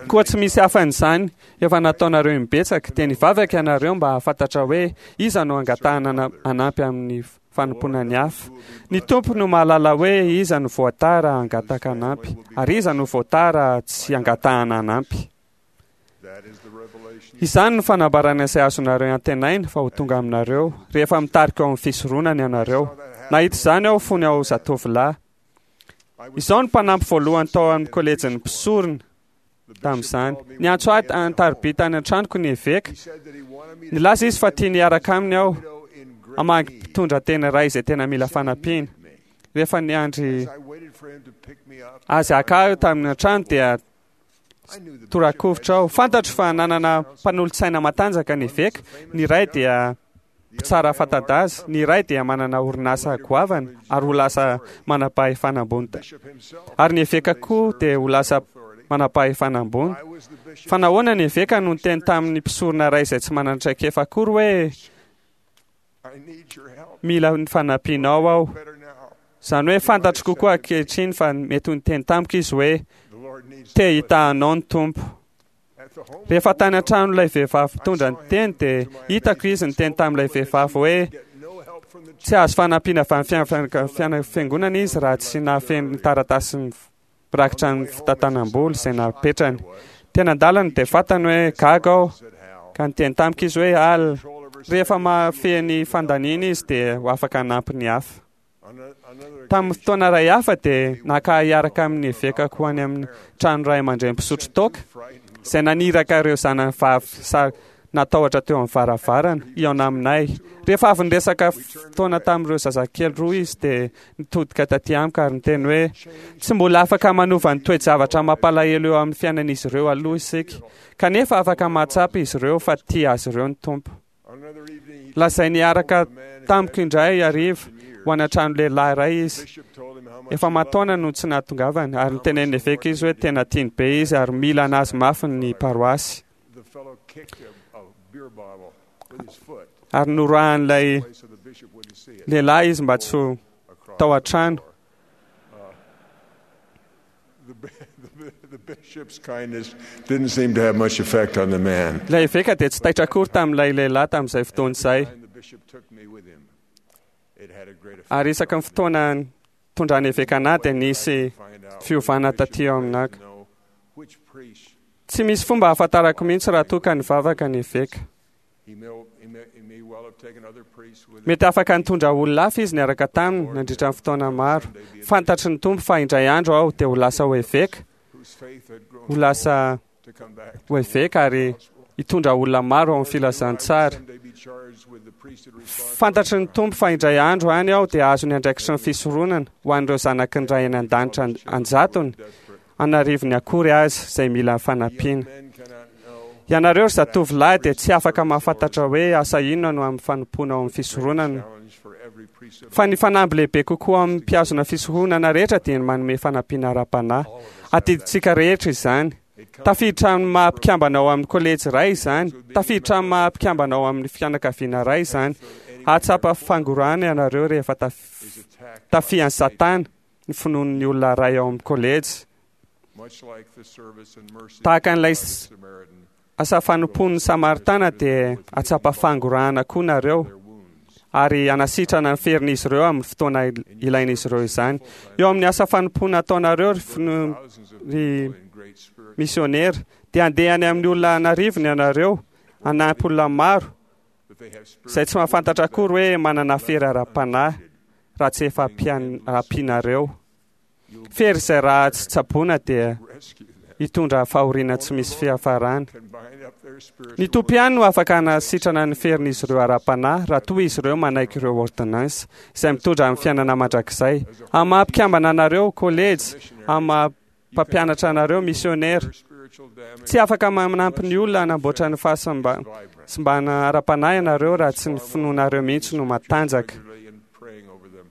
Koa tsy misy hafan'izany efa nataonareo imbetsaka, dia nivavaka ianareo mba hahafantatra hoe iza no angatahana hanampy amin'ny fanompoana ny hafa. Ny Tompo no mahalala hoe iza no voatahy raha hangataka hanampy, ary iza no voatahy raha tsy angatahana hanampy. Izany no fanambarana izay azonareo antenaina fa ho tonga aminareo rehefa mitarika ao amin'ny fisoronana ianareo. Nahita izany aho fony aho zatovolahy. Izaho no mpanampy voalohany tao amin'ny kolejin'ny mpisorona tamin'izany. Niantso ahy an-tariby tany an-tranoko ny eveka. Nilaza izy fa tiany hiaraka aminy aho hamangy mpitondra tena iray izay tena mila fanampiana. Rehefa niandry azy haka ahy tamin'ny an-trano dia torakovitra aho. Fantatro fa nanana mpanolotsaina matanjaka ny eveka. Ny iray dia mpitsara fanta-daza, ny iray dia manana orinasa goavana ary ho lasa manam-pahefana ambony. Ary ny eveka koa dia ho lasa manam-pahefana ambony. Fa nahoana ny eveka no niteny tamin'ny mpisorona iray izay tsy manana traikefa akory hoe mila ny fanampianao aho? Izany hoe fantatro kokoa ankehitriny fa mety ho niteny tamiko izy hoe te hitaha anao ny Tompo. Rehefa tany an-tranon'ilay vehivavy mpitondra ny teny dia hitako izy niteny tamin'ilay vehivavy hoe tsy azo fanampiana avy amin'ny fiangonana izy raha tsy nahafeno ny taratasy mirakitra ny fitantanam-bola izay napetrany. Teny an-dalana dia fantany hoe gaga aho ka niteny tamiko izy hoe Al, rehefa mahafehy ny fandaniana izy dia ho afaka hanampy ny hafa. Tamin'ny fotoana iray hafa dia naka ahy hiaraka amin'ny evekako ho any amin'ny trano ray aman-dreny mpisotro toaka, izay naniraka ireo zanany vavy natahotra teo amin'ny varavarana hihaona aminay. Rehefa avy niresaka fotoana tamin'ireo zazakely roa izy dia nitodika taty amiko ary niteny hoe, Tsy mbola afaka manova ny toe-javatra mampalahelo eo amin'ny fiainan'izy ireo aloha isika, kanefa afaka mahatsapa izy ireo fa tia azy ireo ny Tompo. Lazainy hiaraka tamiko indray hariva ho any an-trano lehilahy iray izy. Efa aman-taona no tsy nahatongavany, ary nitenenin'ny eveka izy hoe tena tiany be izy ary mila an'azy mafy ny paroasy. Ary noroahan'ilay lehilahy izy mba tsy ho tao an-trano. The bishop's kindness didn't seem to have much effect on the man. Ilay eveka dia tsy taitra akory tamin'ilay lehilahy tamin'izay fotoana izay. The bishop took me with him. It had a great effect. Ary isaky ny fotoana nitondrany eveka anahy dia nisy fiovana taty ao aminako. Which priest Tsy misy fomba ahafantarako mihitsy raha toa ka nivavaka ny eveka. he may, he may, he may well have taken other priests with him. Mety afaka nitondra olona hafa izy niaraka taminy nandritra ny fotoana maro. Fantatry ny Tompo fa indray andro aho dia ho lasa ho eveka, whose faith had grown ho lasa to come back ho eveka ary hitondra olona maro ao amin'ny filazantsara. someday be charged with the priesthood responsibility. Fantatry ny Tompo fa indray andro any aho dia azo ny andraikitry ny fisoronana ho an'ireo zanaky ny Ray any an-danitra an- anjatony, anarivony akory azy izay mila fanampiana. Men cannot know Ianareo ry zatovolahy dia tsy afaka mahafantatra hoe asa inona no amin'ny fanompoana ao amin'ny fisoronana. challenge for every priesthood Fa ny fanamby lehibe kokoa amin'ny mpihazona fisoronana rehetra dia ny manome fanampiana ara-panahy. Adidintsika rehetra izany. Tafiditra amin'ny maha mpikambana ao amin'ny kolejy iray izany. Tafiditra amin'ny maha mpikambana ao amin'ny fianakaviana iray izany. Hahatsapa fangorahana ianareo rehefa taf- tafihan'ny Satana ny finoan'ny olona iray ao amin'ny kolejy. much like the service and mercy Tahaka an'ilay of the s- Samaritan asa fanompoan'ny Samaritana dia hahatsapa fangorahana koa nareo ary hanasitrana ny ferin'izy ireo amin'ny fotoana il- ilain'izy ireo izany. Eo amin'ny asa fanompoana ataonareo ry fino- thousands of ry people in great spiritual misionera dia handeha any amin'ny olona anarivony ianareo hanampy olona maro that they have izay tsy mahafantatra akory hoe manana fery ara-panahy raha tsy efa ampian- ampianareo. Fery izay raha tsy tsaboina dia rescue them hitondra fahoriana tsy misy fiafarana. can bind up their spiritual Ny Tompo ihany no afaka hanasitrana ny ferin'izy ireo ara-panahy raha toa izy ireo manaiky ireo ordonnance izay mitondra amin'ny fiainana mandrakizay. Amin'ny maha mpikambana anareo kolejy, amin'ny maha mpampianatra anareo misionera, spiritual damage tsy afaka manampy ny olona hanamboatra ny fahasimbana ara-panahy ianareo raha tsy ny finoanareo mihitsy no matanjaka. regularly and praying over them.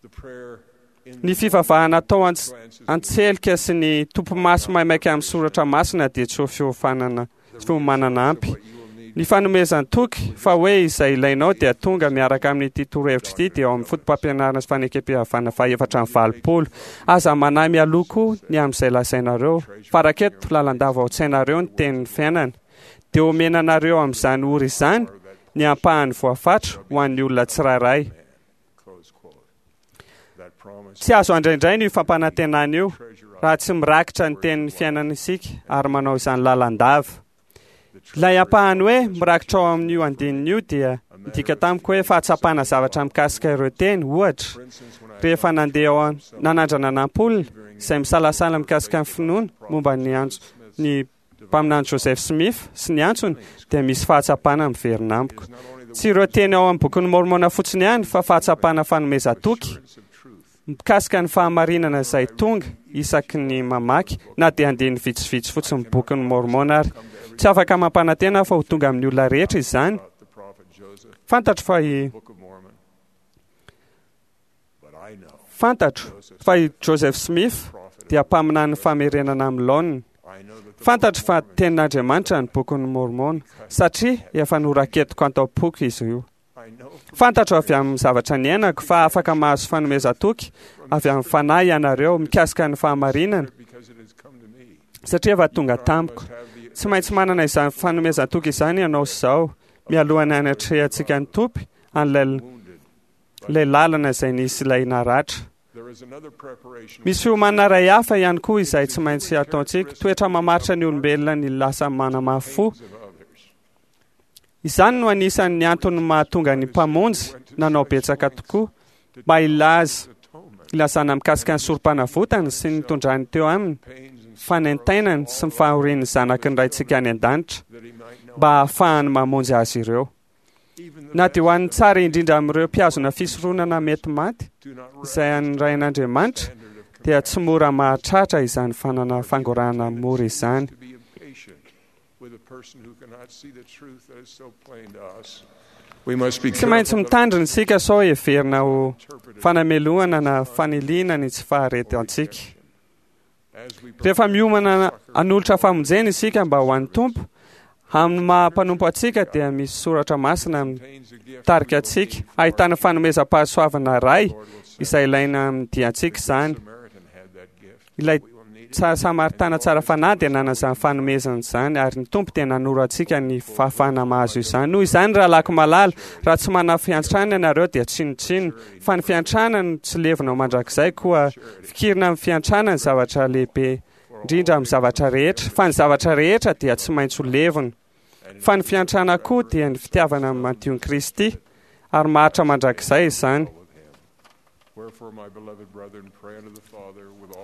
The prayer in Ny fivavahana atao ants- antselika sy ny tompomaso maimaika amin'ny soratra masina dia tsy ho fiofanana tsy fiomanana ampy. Ny fanomezan-toky fa hoe izay ilainao dia tonga miaraka amin'ity torohevitra ity dia ao amin'ny foto-pampianarana sy fanekempihavanana faha-84. Aza manahy mialoha koa ny amin'izay lazainareo. Faraketo lalandava ao an-tsainareo ny tenin'ny fiainana. Dia omena anareo amin'izany ora izany ny ampahany voafatra ho an'ny olona tsirairay. close quote. That promise Tsy azo andraindraina io fampanantenana io raha tsy mirakitra ny tenin'ny fiainana isika ary manao izany lalandava. Ilay ampahany hoe mirakitra ao amin'io andininy io dia midika tamiko hoe fahatsapana zavatra mikasika ireo teny, ohatra, rehefa nandeha ao an- nanandrana nampolona izay misalasala mikasika ny finoana momba ny antso ny mpaminany Joseph Smith sy ny antsony dia misy fahatsapana miverina amiko. Tsy ireo teny ao amin'ny bokin'ny Mormona fotsiny ihany fa fahatsapana fanomezan-toky mikasika ny fahamarinana izay tonga isaky ny mamaky na dia andininy vitsivitsy fotsiny bokin'ny Mormona ary tsy afaka mampanantena aho fa ho tonga amin'ny olona rehetra izany. the prophet Joseph, Fantatro fa i Book of Mormon. But I know fantatro fa i Joseph Smith dia mpaminany famerenana amin'ny laoniny. I know that the Fantatro fa tenin'Andriamanitra ny bokin'ny Mormona satria efa noraketiko an-taom-poko izy io. I know Fantatro avy amin'ny zavatra niainako fa afaka mahazo fanomezan-toky avy amin'ny fanahy ianareo mikasika ny fahamarinana because it has come to me. satria efa tonga tamiko. Tsy maintsy manana izany fanomezan-toky izany ianao sy izao mialohan'ny hanatrehantsika ny Tompo an'ilay ilay lalana izay nisy ilay naratra. There is another preparation Misy fiomanana iray hafa ihany koa izay tsy maintsy ataontsika. Toetra mamaritra ny olombelona ny lasa manamafy fo. of others. Izany no anisan'ny antony mahatonga ny mpamonjy nanao betsaka tokoa mba hilaza hilazana mikasika ny sorom-panavotany sy ny nitondrany teo aminy, Pains and fanaintainany sy ny fahorian'ny zanaky ny Raintsika any an-danitra that he might know mba hahafahany mamonjy azy ireo. even the Na dia ho an'ny tsara indrindra amin'ireo mpihazona fisoronana mety maty do not izay an'ny Rain'Andriamanitra standard of dia tsy mora mahatratra izany fanana fangorahana mora izany. to be impatient with a person who cannot see the truth that is so plain to us. We must be Tsy maintsy careful not mitandrina isika sao heverina ho to interpret it fanamelohana na faniliana ny tsy faharetantsika. as we Rehefa miomana hanolotra famonjena isika mba ho an'ny Tompo, amin'ny maha mpanompo antsika dia misy soratra masina contains a gift mitarika antsika ahitana fanomezam-pahasoavana iray izay ilaina amin'ny diantsika izany. Samaritan had that gift. Ilay We will Samaritana tsara fanahy dia nanana izany fanomezana izany, ary ny Tompo dia nanoro antsika ny fahafahana mahazo izany. Noho izany, rahalahiko malala, raha tsy manana fiantrana ianareo dia tsinontsinona, fa ny fiantrana no tsy levona mandrakizay, koa fikirina amin'ny fiantrana ny zavatra lehibe indrindra amin'ny zavatra rehetra, fa ny zavatra rehetra dia tsy maintsy ho levona. Fa ny fiantrana koa dia ny fitiavana madion'i Kristy, ary maharitra mandrakizay izany.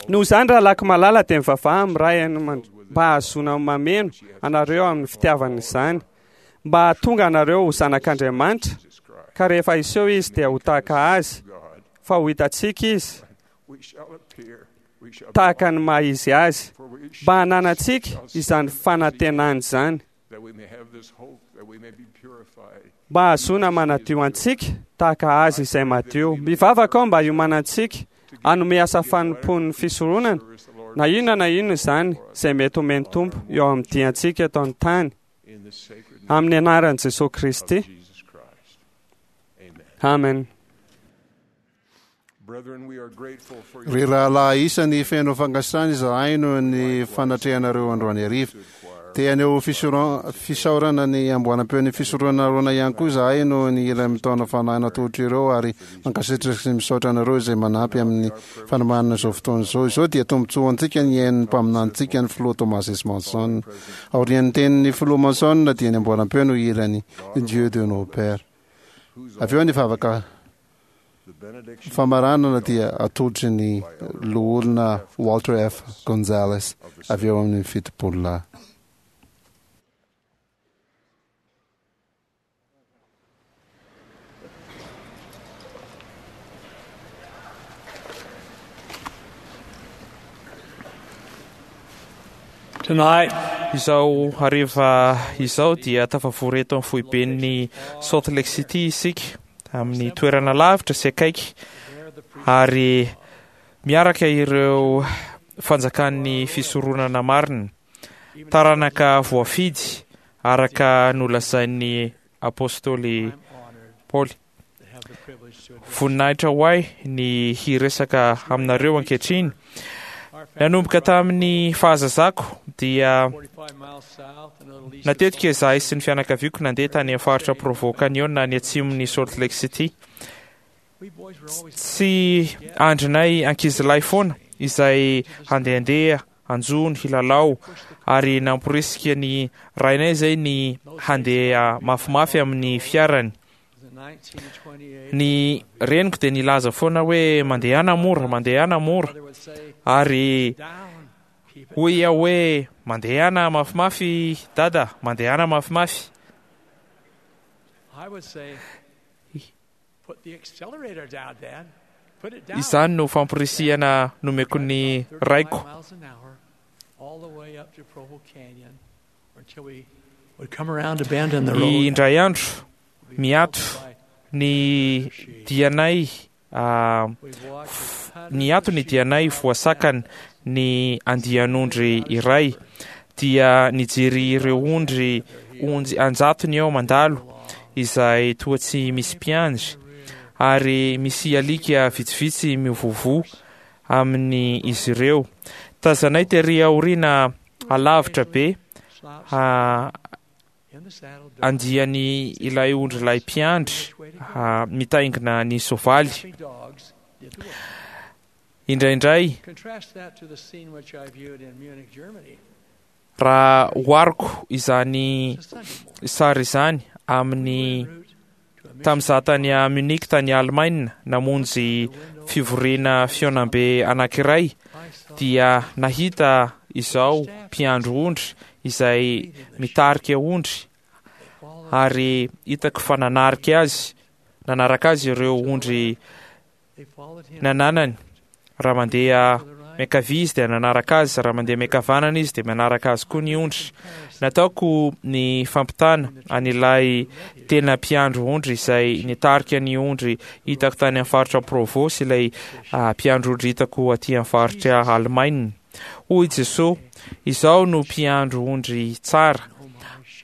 Noho izany, rahalahiko malala, dia mivavaha amin'ny Ray any mba hahazoana mameno anareo amin'ny fitiavana izany, mba hahatonga anareo ho zanak'Andriamanitra, ka rehefa hiseho Izy dia ho tahaka Azy, fa ho hitantsika Izy tahaka ny maha Izy Azy, mba hananantsika izany fanantenana izany. Mba hahazoana manadio antsika tahaka Azy izay madio. Mivavaka aho mba hiomanantsika hanome asa fanompoan'ny fisoronana, na inona na inona izany izay mety homen'ny Tompo eo amin'ny diantsika eto an-tany. Amin'ny anaran'i Jesoa Kristy. Amen. Ry rahalahy isany, feno fankasitrahana izahay noho ny fanatrehanareo androany hariva. Te haneho fisaorana ny amboaram-peon'ny fisoronana Arona ihany koa izahay noho ny hira mitaona fanahy natolotr'ireo ary mankasitraka sy misaotra anareo izay manampy amin'ny fanomanana izao fotoana izao. Izao dia tombontsoa ho antsika ny hihaino ny mpaminanintsika, ny Filoha Thomas S. Monson. Aorian'ny tenin'ny Filoha Monson dia ny amboaram-peo no hihira ny Dieu de nos pères. Avy eo ny vavaka famaranana dia atolotry ny Loholona Walter F. Gonzales avy eo amin'ny Fitopololahy. Tonight, Izao hariva izao dia tafavory eto amin'ny foiben'ny Salt Lake City isika amin'ny toerana lavitra sy akaiky ary miaraka ireo fanjakan'ny fisoronana marina, taranaka voafidy araka nolazain'ny apostoly Paoly. Voninahitra ho ahy ny hiresaka aminareo ankehitriny. Nanomboka tamin'ny fahazazako dia natetika izahay sy ny fianakaviako nandeha tany amin'ny faritra Provo Canyon any atsimon'i Salt Lake City. Tsy andrinay ankizilahy foana izay handehandeha, hanjono, hilalao ary namporisika ny rainay izay ny handeha mafimafy amin'ny fiarany. Ny reniko dia nilaza foana hoe mandehana mora, mandehana mora. Ary hoy aho hoe mandehana mafimafy dada, mandehana mafimafy. Izany no famporisihana nomeko ny raiko. Indray andro, miato ny dianay niato ny dianay voasakana ny andian'ondry iray, dia nijery ireo ondry onjy an-jatony aho mandalo izay toa tsy misy mpiandry, ary misy alika vitsivitsy mivovoa amin'ny izy ireo. Tazanay tery aoriana alavitra be andiany ilay ondrilahy mpiandry mitaingina ny soavaly. Indraindray, raha ohariko izany sary izany amin'ny tamin'izaho tany Munich tany Alemaina namonjy fivoriana fihaonambe anankiray dia nahita izao mpiandry ondry izay mitarika ondry ary hitako fa nanarika azy nanaraka azy ireo ondry nananany. Raha mandeha miankavia izy dia nanaraka azy, raha mandeha miankavanana izy dia manaraka azy koa ny ondry. Nataoko ny fampitana an'ilay tena mpiandry ondry izay nitarika ny ondry hitako tany amin'ny faritra Provo sy ilay mpiandry ondry hitako aty amin'ny faritra Alemaina. Hoy Jesoa, Izaho no mpiandry ondry tsara,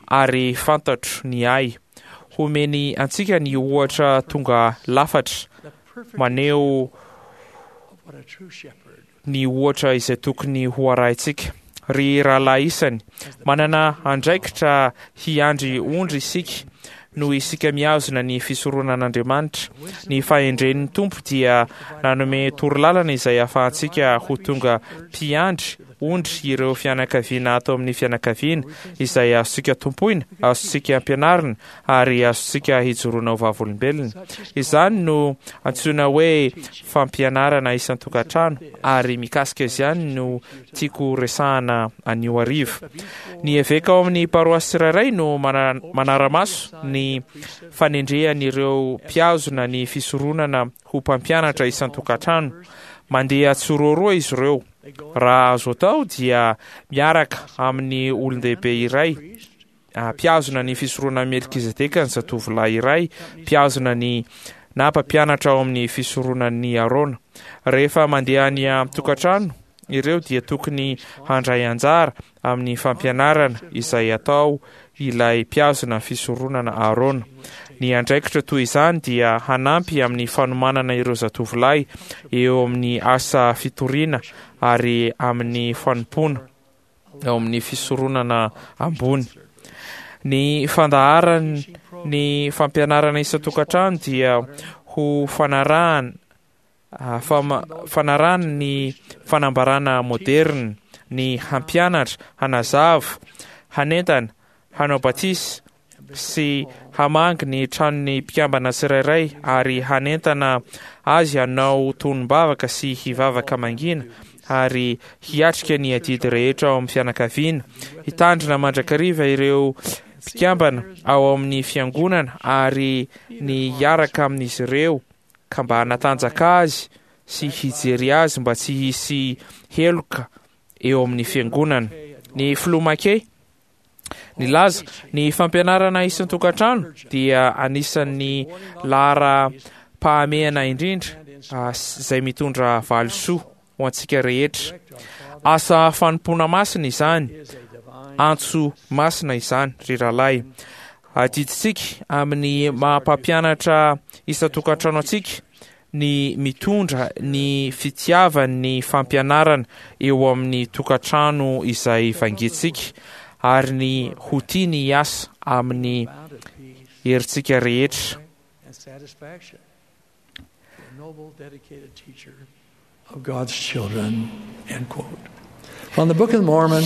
ary fantatro ny ahy. Homeny antsika ny ohatra tonga lafatra maneho ny ohatra izay tokony ho arahintsika. Ry rahalahy isany, manana andraikitra hiandry ondry isika noho isika mihazona ny fisoronan'Andriamanitra. Ny fahendren'ny Tompo dia nanome torolalana izay ahafahantsika ho tonga mpiandry ondry ireo fianakaviana ato amin'ny fianakaviana izay azontsika tompoina, azontsika ampianarina ary azontsika hijoroana ho vavolombelona. Izany no antsoina hoe fampianarana isan-tokantrano ary mikasika izany no tiako resahana anio hariva. Ny eveka ao amin'ny paroasy tsirairay no manara-maso ny fanendrehan'ireo mpihazona ny fisoronana ho mpampianatra isan-tokantrano. Mandeha tsiroaroa izy ireo. Raha azo atao dia miaraka amin'ny olon-dehibe iray mpihazona ny fisoronan'i Melkizedeka ny zatovolahy iray mpihazona ny na mpampianatra ao amin'ny fisoronan'i Arona. Rehefa mandeha any an-tokantrano ireo dia tokony handray anjara amin'ny fampianarana izay atao ilay mpihazona fisoronana Arona. Ny andraikitra toy izany dia hanampy amin'ny fanomanana ireo zatovolahy eo amin'ny asa fitoriana ary amin'ny fanompoana ao amin'ny fisoronana ambony. Ny fandaharan ny fampianarana isan-tokantrano dia ho fanarahana fanarahana ny fanambarana moderina, ny hampianatra, hanazava, hanentana, hanao batisa sy hamangy ny tranon'ny mpikambana tsirairay ary hanentana azy hanao tonom-bavaka sy hivavaka mangina ary hiatrika ny adidy rehetra ao amin'ny fianakaviana, hitandrina mandrakariva ireo mpikambana ao amin'ny fiangonana ary ny hiaraka amin'izy ireo ka mba hanatanjaka azy sy hijery azy mba tsy hisy heloka eo amin'ny fiangonana. Ny filoha Mackay nilaza, ny fampianarana isan-tokantrano dia anisan'ny laharam-pahamehana indrindra izay mitondra valisoa ho antsika rehetra. Asa fanompoana masina izany, antso masina izany, ry rahalahy. Adidintsika amin'ny maha-mpampianatra isan-tokantrano antsika ny mitondra ny fitiavan'ny fampianarana eo amin'ny tokantrano izay vangintsika ary ny ho tia ny hiasa amin'ny herintsika rehetra.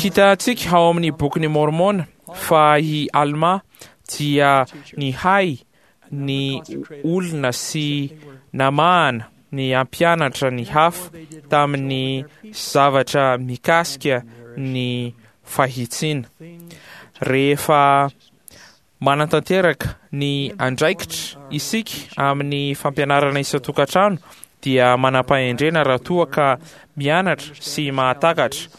Hitantsika ao amin'ny Bokin'i Môrmôna fa i Almà dia nihay ny olona sy namahana ny hampianatra ny hafa tamin'ny zavatra mikasika ny fahitsiana. Rehefa manatanteraka ny andraikitra isika amin'ny fampianarana isan-tokantrano dia manam-pahendrena raha toa ka mianatra sy mahatakatra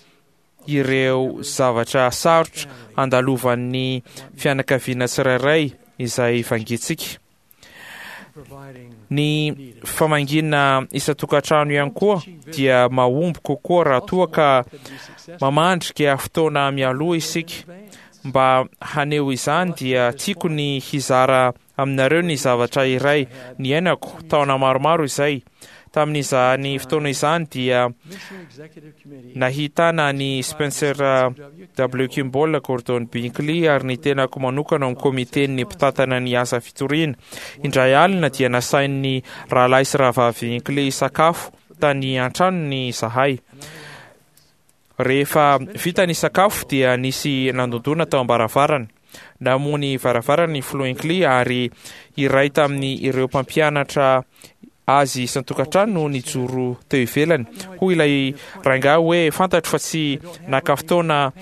ireo zavatra sarotra andalovan'ny fianakaviana tsirairay izay vangintsika. Ny famangiana isan-tokantrano ihany koa dia mahomby kokoa raha toa ka mamandrika fotoana mialoha isika. Mba haneho izany dia tiako ny hizara aminareo ny zavatra iray niainako taona maromaro izay. Tamin'izany fotoana izany dia nahitana an'i Spencer W. Kimball, Gordon Binkley ary ny tenako manokana ao amin'ny komiten'ny mpitantana ny asa fitoriana. Indray alina dia nasain'ny Rahalahy sy Rahavavy Hinckley hisakafo tany an-tranony izahay. Rehefa vita ny sakafo dia nisy nandondona tao am-baravarana. Namoha ny varavarana ny filoha Hinckley ary iray tamin'ny ireo mpampianatra azy isan-tokantrano no nijoro teo ivelany. Hoy ilay rangahy hoe, Fantatro fa tsy naka fotoana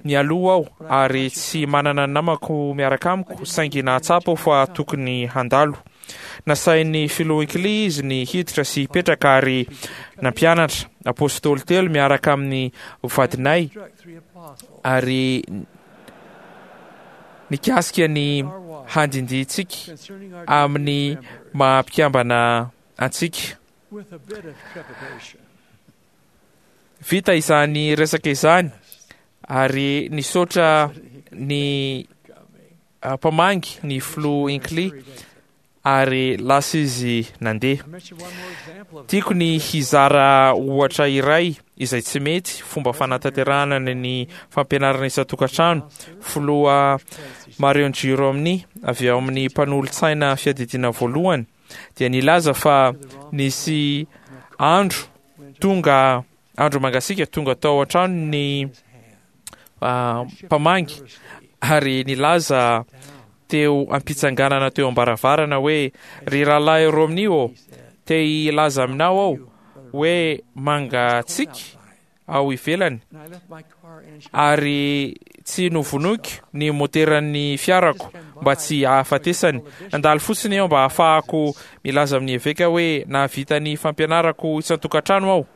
nialoha aho ary tsy manana ny namako miaraka amiko, saingy nahatsapa aho fa tokony handalo. Nasain'ny filoha Hinckley izy ny hiditra sy hipetraka ary nampianatra Apôstôly telo miaraka amin'ny vadinay ary nikasika ny handindintsika amin'ny maha mpikambana antsika. Vita izany resaka izany ary nisaotra ny mpamangy ny filoha Hinckley. Ary lasa izy nandeha. Tiako ny hizara ohatra iray izay tsy mety fomba fanatanterahana ny fampianarana isan-tokantrano. Filoha Marion G. Romney avy ao amin'ny mpanolotsaina fiadidiana voalohany dia nilaza fa nisy andro tonga andro mangasiaka tonga tao an-trano ny mpamangy ary nilaza teo am-pitsanganana teo am-baravarana hoe, Ry Rahalahy Romney ô, te hilaza aminao aho hoe mangatsiaka ao ivelany ary tsy novonoiko ny moteran'ny fiarako mba tsy hahafatesany. Nandalo fotsiny aho mba hahafahako milaza amin'ny eveka hoe nahavita ny fampianarako isan-tokantrano aho.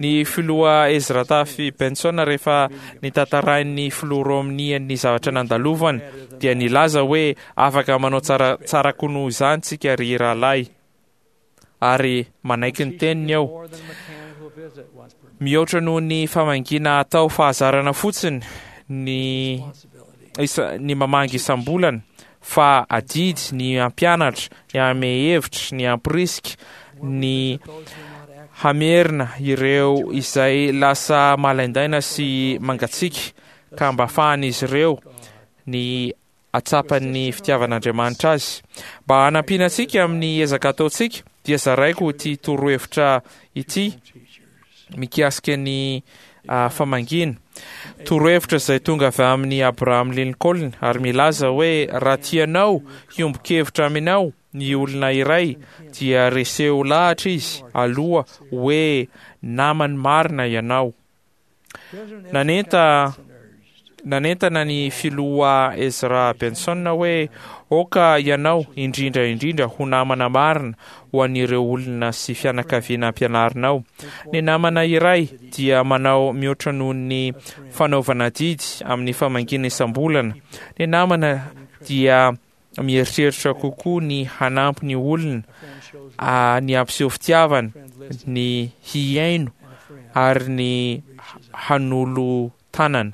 Ny filoha Ezra Taft Benson rehefa nitantarain'ny filoha Romney ny zavatra nandalovany dia nilaza hoe afaka manao tsara tsara koa noho izany tsika ry rahalahy ary manaiky ny teniny aho. Mihoatra noho ny famangiana atao fahazarana fotsiny ny ny mamangy isam-bolana fa adidy ny hampianatra, ny hanome hevitra, ny hamporisika, ny hamerina ireo izay lasa malaindaina sy mangatsiaka ka mba afahan'izy ireo ny hatsapan'ny fitiavan'Andriamanitra azy. Mba hanampiana antsika amin'ny ezaka ataontsika dia zaraiko ity torohevitra ity mikasika ny famangiana. Torohevitra izay tonga avy amin'i Abraham Lincoln ary milaza hoe raha tianao hiombon-kevitra aminao ny olona iray dia reseho lahatra izy aloha hoe namany marina ianao. Nanenta Nanentana ny Filoha Ezra Benson hoe, Aoka ianao, indrindra indrindra, ho namana marina ho an'ireo olona sy fianakaviana ampianarinao. Ny namana iray dia manao mihoatra noho ny fanaovana adidy amin'ny famangiana isam-bolana. Ny namana dia mieritreritra kokoa ny hanampy ny olona, ny hampiseho fitiavana, ny hihaino ary ny hanolo tanana.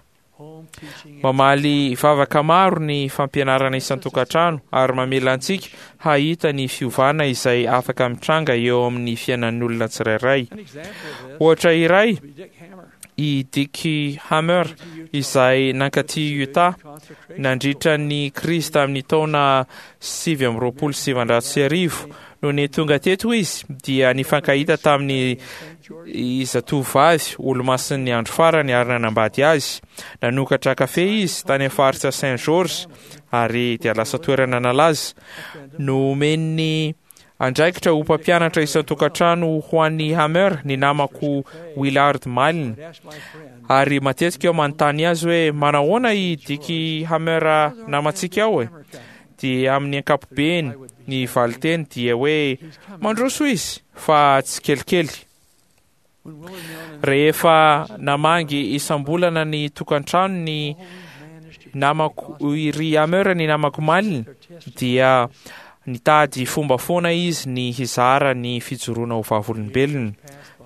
Mamaly vavaka maro ny fampianarana isan-tokantrano ary mamela antsika hahita ny fiovana izay afaka mitranga eo amin'ny fiainan'ny olona tsirairay. Ohatra iray, i Dick Hammer izay nankaty Utah nandritra ny krizy tamin'ny taona 1929. Nony tonga teto izy dia nifankahita tamin'ny zatovovavy olomasin'ny andro farany ary nanambady azy. Nanokatra kafe izy tany amin'ny faritra Saint George ary dia lasa toerana nalaza. Nomen'ny andraikitra ho mpampianatra isan-tokantrano ho an'i Hammer ny namako Willard Malin. Ary matetika aho manontany azy hoe manahoana i Dick Hammer namantsika ao e? Dia amin'ny ankapobeny ny valinteny dia hoe mandroso izy fa tsikelikely. Rehefa namangy isam-bolana ny tokantrano ny namako ry Hammer ny namako Malin dia nitady fomba foana izy ny hizara ny fijoroana ho vavolombelony.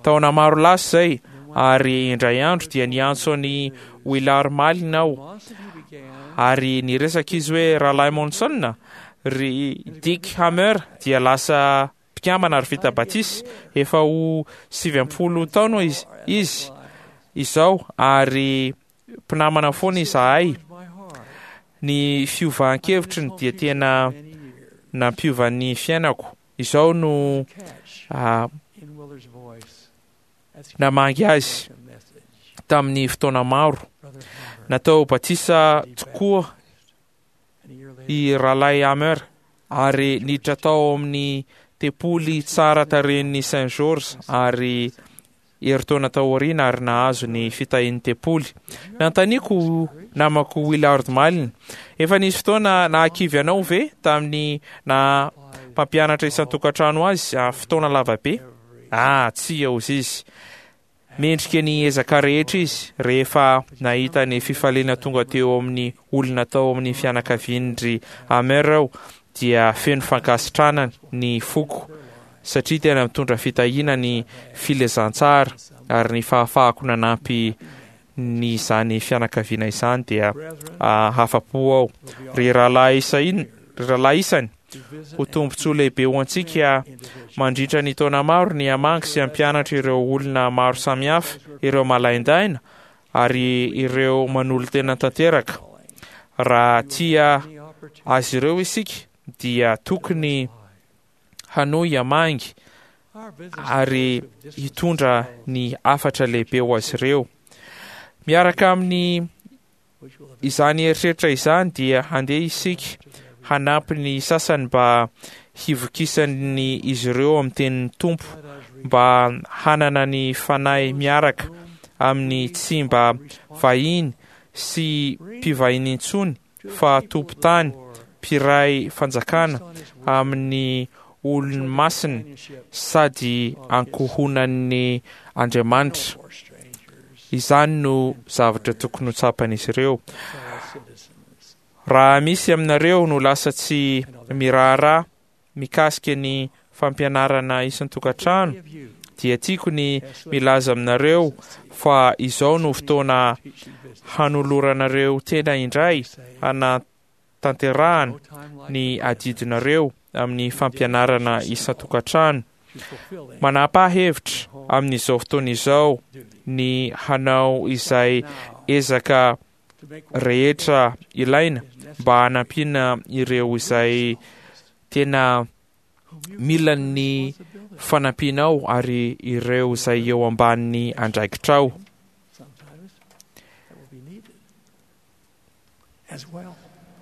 Taona maro lasa izay ary indray andro dia niantso an'i Willard Malin aho ary niresaka izy hoe Rahalahy Monson, ry Dick Hammer dia lasa mpikambana ary vita batisa efa ho 90 taona izy izao ary mpinamana foana izahay. Ny fiovan-kevitriny dia tena nampiova ny fiainako. Izao no namangy azy tamin'ny fotoana maro. Natao batisa tokoa i Rahalahy Hammer ary niditra tao amin'ny tempoly tsara tarehin'ny Saint George ary herintaona taoriana ary nahazo ny fitahian'ny tempoly. Nanontaniako namako Willard Malin, Efa nisy fotoana nahakivy anao ve tamin'ny naha mpampianatra isan-tokantrano azy fotoana lava be? Ah, tsia, hozy izy. Mendrika ny ezaka rehetra izy rehefa nahita ny fifaliana tonga teo amin'ny olona tao amin'ny fianakavian-dry Hammer aho dia feno fankasitrahana ny foko satria tena mitondra fitahiana ny filazantsara ary ny fahafahako nanampy ny izany fianakaviana izany dia hafa-po aho. Ry rahalahy isainy, ry rahalahy isany, ho tombontsoa lehibe ho antsika mandritra ny taona maro ny hamangy sy hampianatra ireo olona maro samihafa, ireo malaindaina ary ireo manolo-tena tanteraka. Raha tia azy ireo isika dia tokony hanohy hamangy ary hitondra ny hafatra lehibe ho azy ireo. Miaraka amin'ny izany eritreritra izany dia handeha isika hanampy ny sasany mba hivokisan'ny izy ireo amin'ny tenin'ny Tompo mba hanana ny fanahy miaraka amin'ny tsy mba vahiny sy mpivahiny intsony fa tompon-tany mpiray fanjakana amin'ny olony masina sady ankohonan'ny Andriamanitra. Izany no zavatra tokony ho tsapan'izy ireo. Raha misy aminareo no lasa tsy miraharaha mikasika ny fampianarana isan-tokantrano, dia tiako ny milaza aminareo fa izao no fotoana hanoloranareo tena indray hanatanterahana ny adidinareo amin'ny fampianarana isan-tokantrano. Manapaha hevitra amin'izao fotoana izao ny hanao izay ezaka rehetra ilaina mba hanampiana ireo izay tena mila ny fanampianao ary ireo izay eo ambanin'ny andraikitrao. As well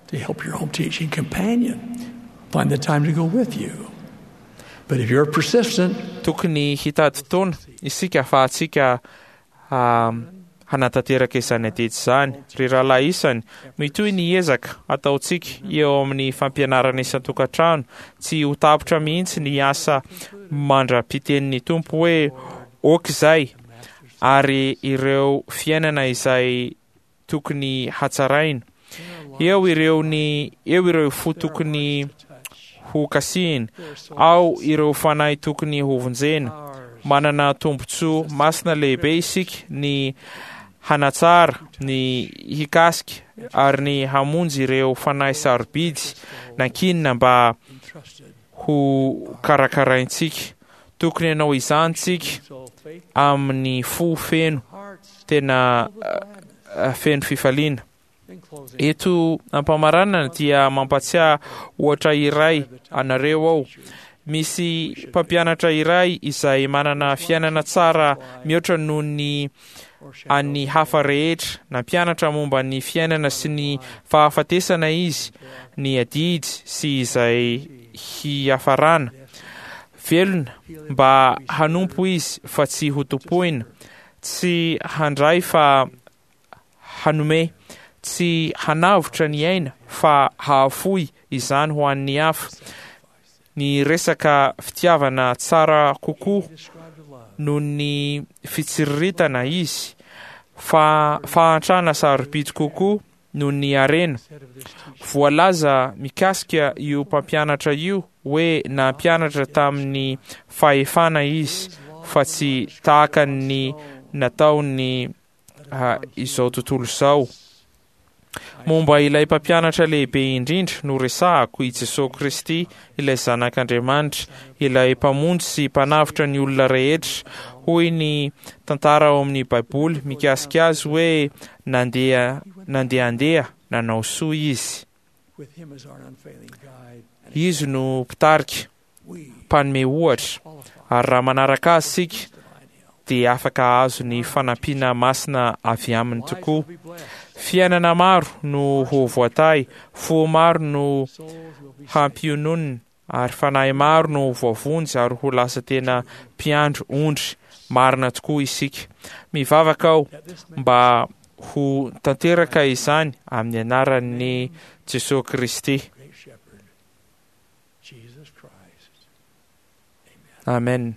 to help your home teaching companion find the time to go with you. But if you're persistent, Tokony hitady fotoana isika ahafahantsika hanatanteraka izany adidy izany. Ry rahalahy isany, mitohy ny ezaka ataontsika eo amin'ny fampianarana isan-tokantrano. Tsy ho tapitra mihitsy ny asa mandra-pitenin'ny Tompo hoe, Ok izay, ary ireo fiainana izay tokony hatsaraina. Eo ireo ny eo ireo fo tokony ho kasihina, ao ireo fanahy tokony hovonjena. Manana tombontsoa masina lehibe isika ny hanatsara, ny hikasika ary ny hamonjy ireo fanahy sarobidy nankinina mba ho karakaraintsika. Tokony hanao izany tsika amin'ny fo feno tena feno fifaliana. Eto am-pamaranana dia mampatsiahy ohatra iray anareo aho. Misy mpampianatra iray izay manana fiainana tsara mihoatra noho ny an'ny hafa rehetra. Nampianatra momba ny fiainana sy ny fahafatesana izy, ny adidy sy izay hiafarana. Velona mba hanompo izy fa tsy hotompoina, tsy handray fa hanome, tsy hanavotra ny aina fa hahafoy izany ho an'ny hafa. Ny resaka fitiavana tsara kokoa noho ny fitsiriritana izy, fa fahantrana sarobidy kokoa noho ny harena. Voalaza mikasika io mpampianatra io hoe nampianatra tamin'ny fahefana izy fa tsy tahaka ny nataon'ny izao tontolo izao. Momba ilay mpampianatra lehibe indrindra no resahako, i Jesoa Kristy, ilay Zanak'Andriamanitra, ilay Mpamonjy sy Mpanavotra ny olona rehetra. Hoy ny tantara ao amin'ny Baiboly mikasika azy hoe nandeha nandehandeha nanao soa izy. Izy no mpitarika, mpanome ohatra, ary raha manaraka azy isika dia afaka hahazo ny fanampiana masina avy aminy tokoa. Fiainana maro no ho voatahy, fo maro no hampiononina, ary fanahy maro no ho voavonjy ary ho lasa tena mpiandry ondry marina tokoa isika. Mivavaka aho mba ho tanteraka izany amin'ny anaran'i Jesoa Kristy. Amen.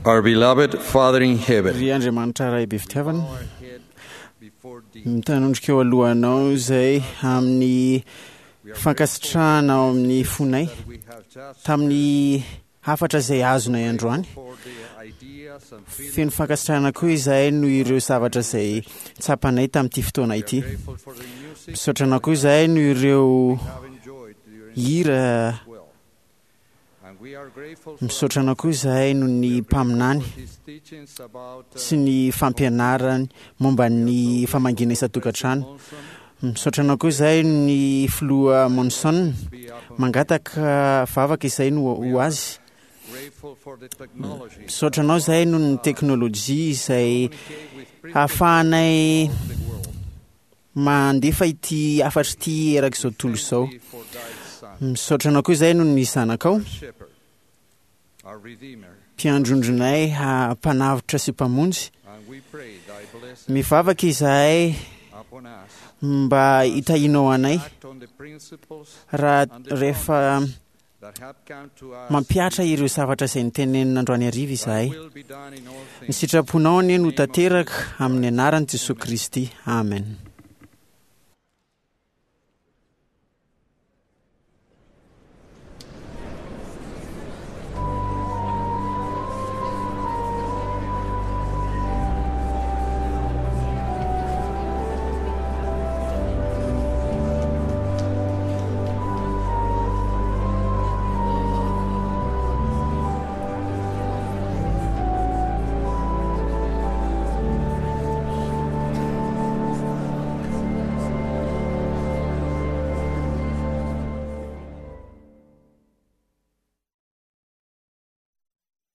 Our beloved Father in heaven, Ry Andriamanitra Ray be fitiavana, mitanondrika eo alohanao izay amin'ny fankasitrahana ao amin'ny fonay tamin'ny hafatra izay azonay androany. Feno fankasitrahana koa izahay noho ireo zavatra izay tsapanay tamin'ity fotoana ity. Misaotra anao koa izahay noho ireo hira. Misaotra anao koa izahay noho ny mpaminany sy ny fampianarany momba ny famangiana isan-tokantrano. Misaotra anao koa izahay ny filoha Monson. Mangataka vavaka izay no ho azy. Misaotra anao izahay noho ny teknôlôjia izay ahafahanay mandefa ity hafatra ity erak'izao tontolo izao. Misaotra anao koa izahay noho ny zanakao, mpiandrondronay, mpanavotra sy mpamonjy. Mivavaka izahay mba hitahianao anay raha rehefa mampihatra ireo zavatra izay nitenenina androany hariva izahay. Ny sitraponao anie no tanteraka amin'ny anaran'i Jesoa Kristy. Amen.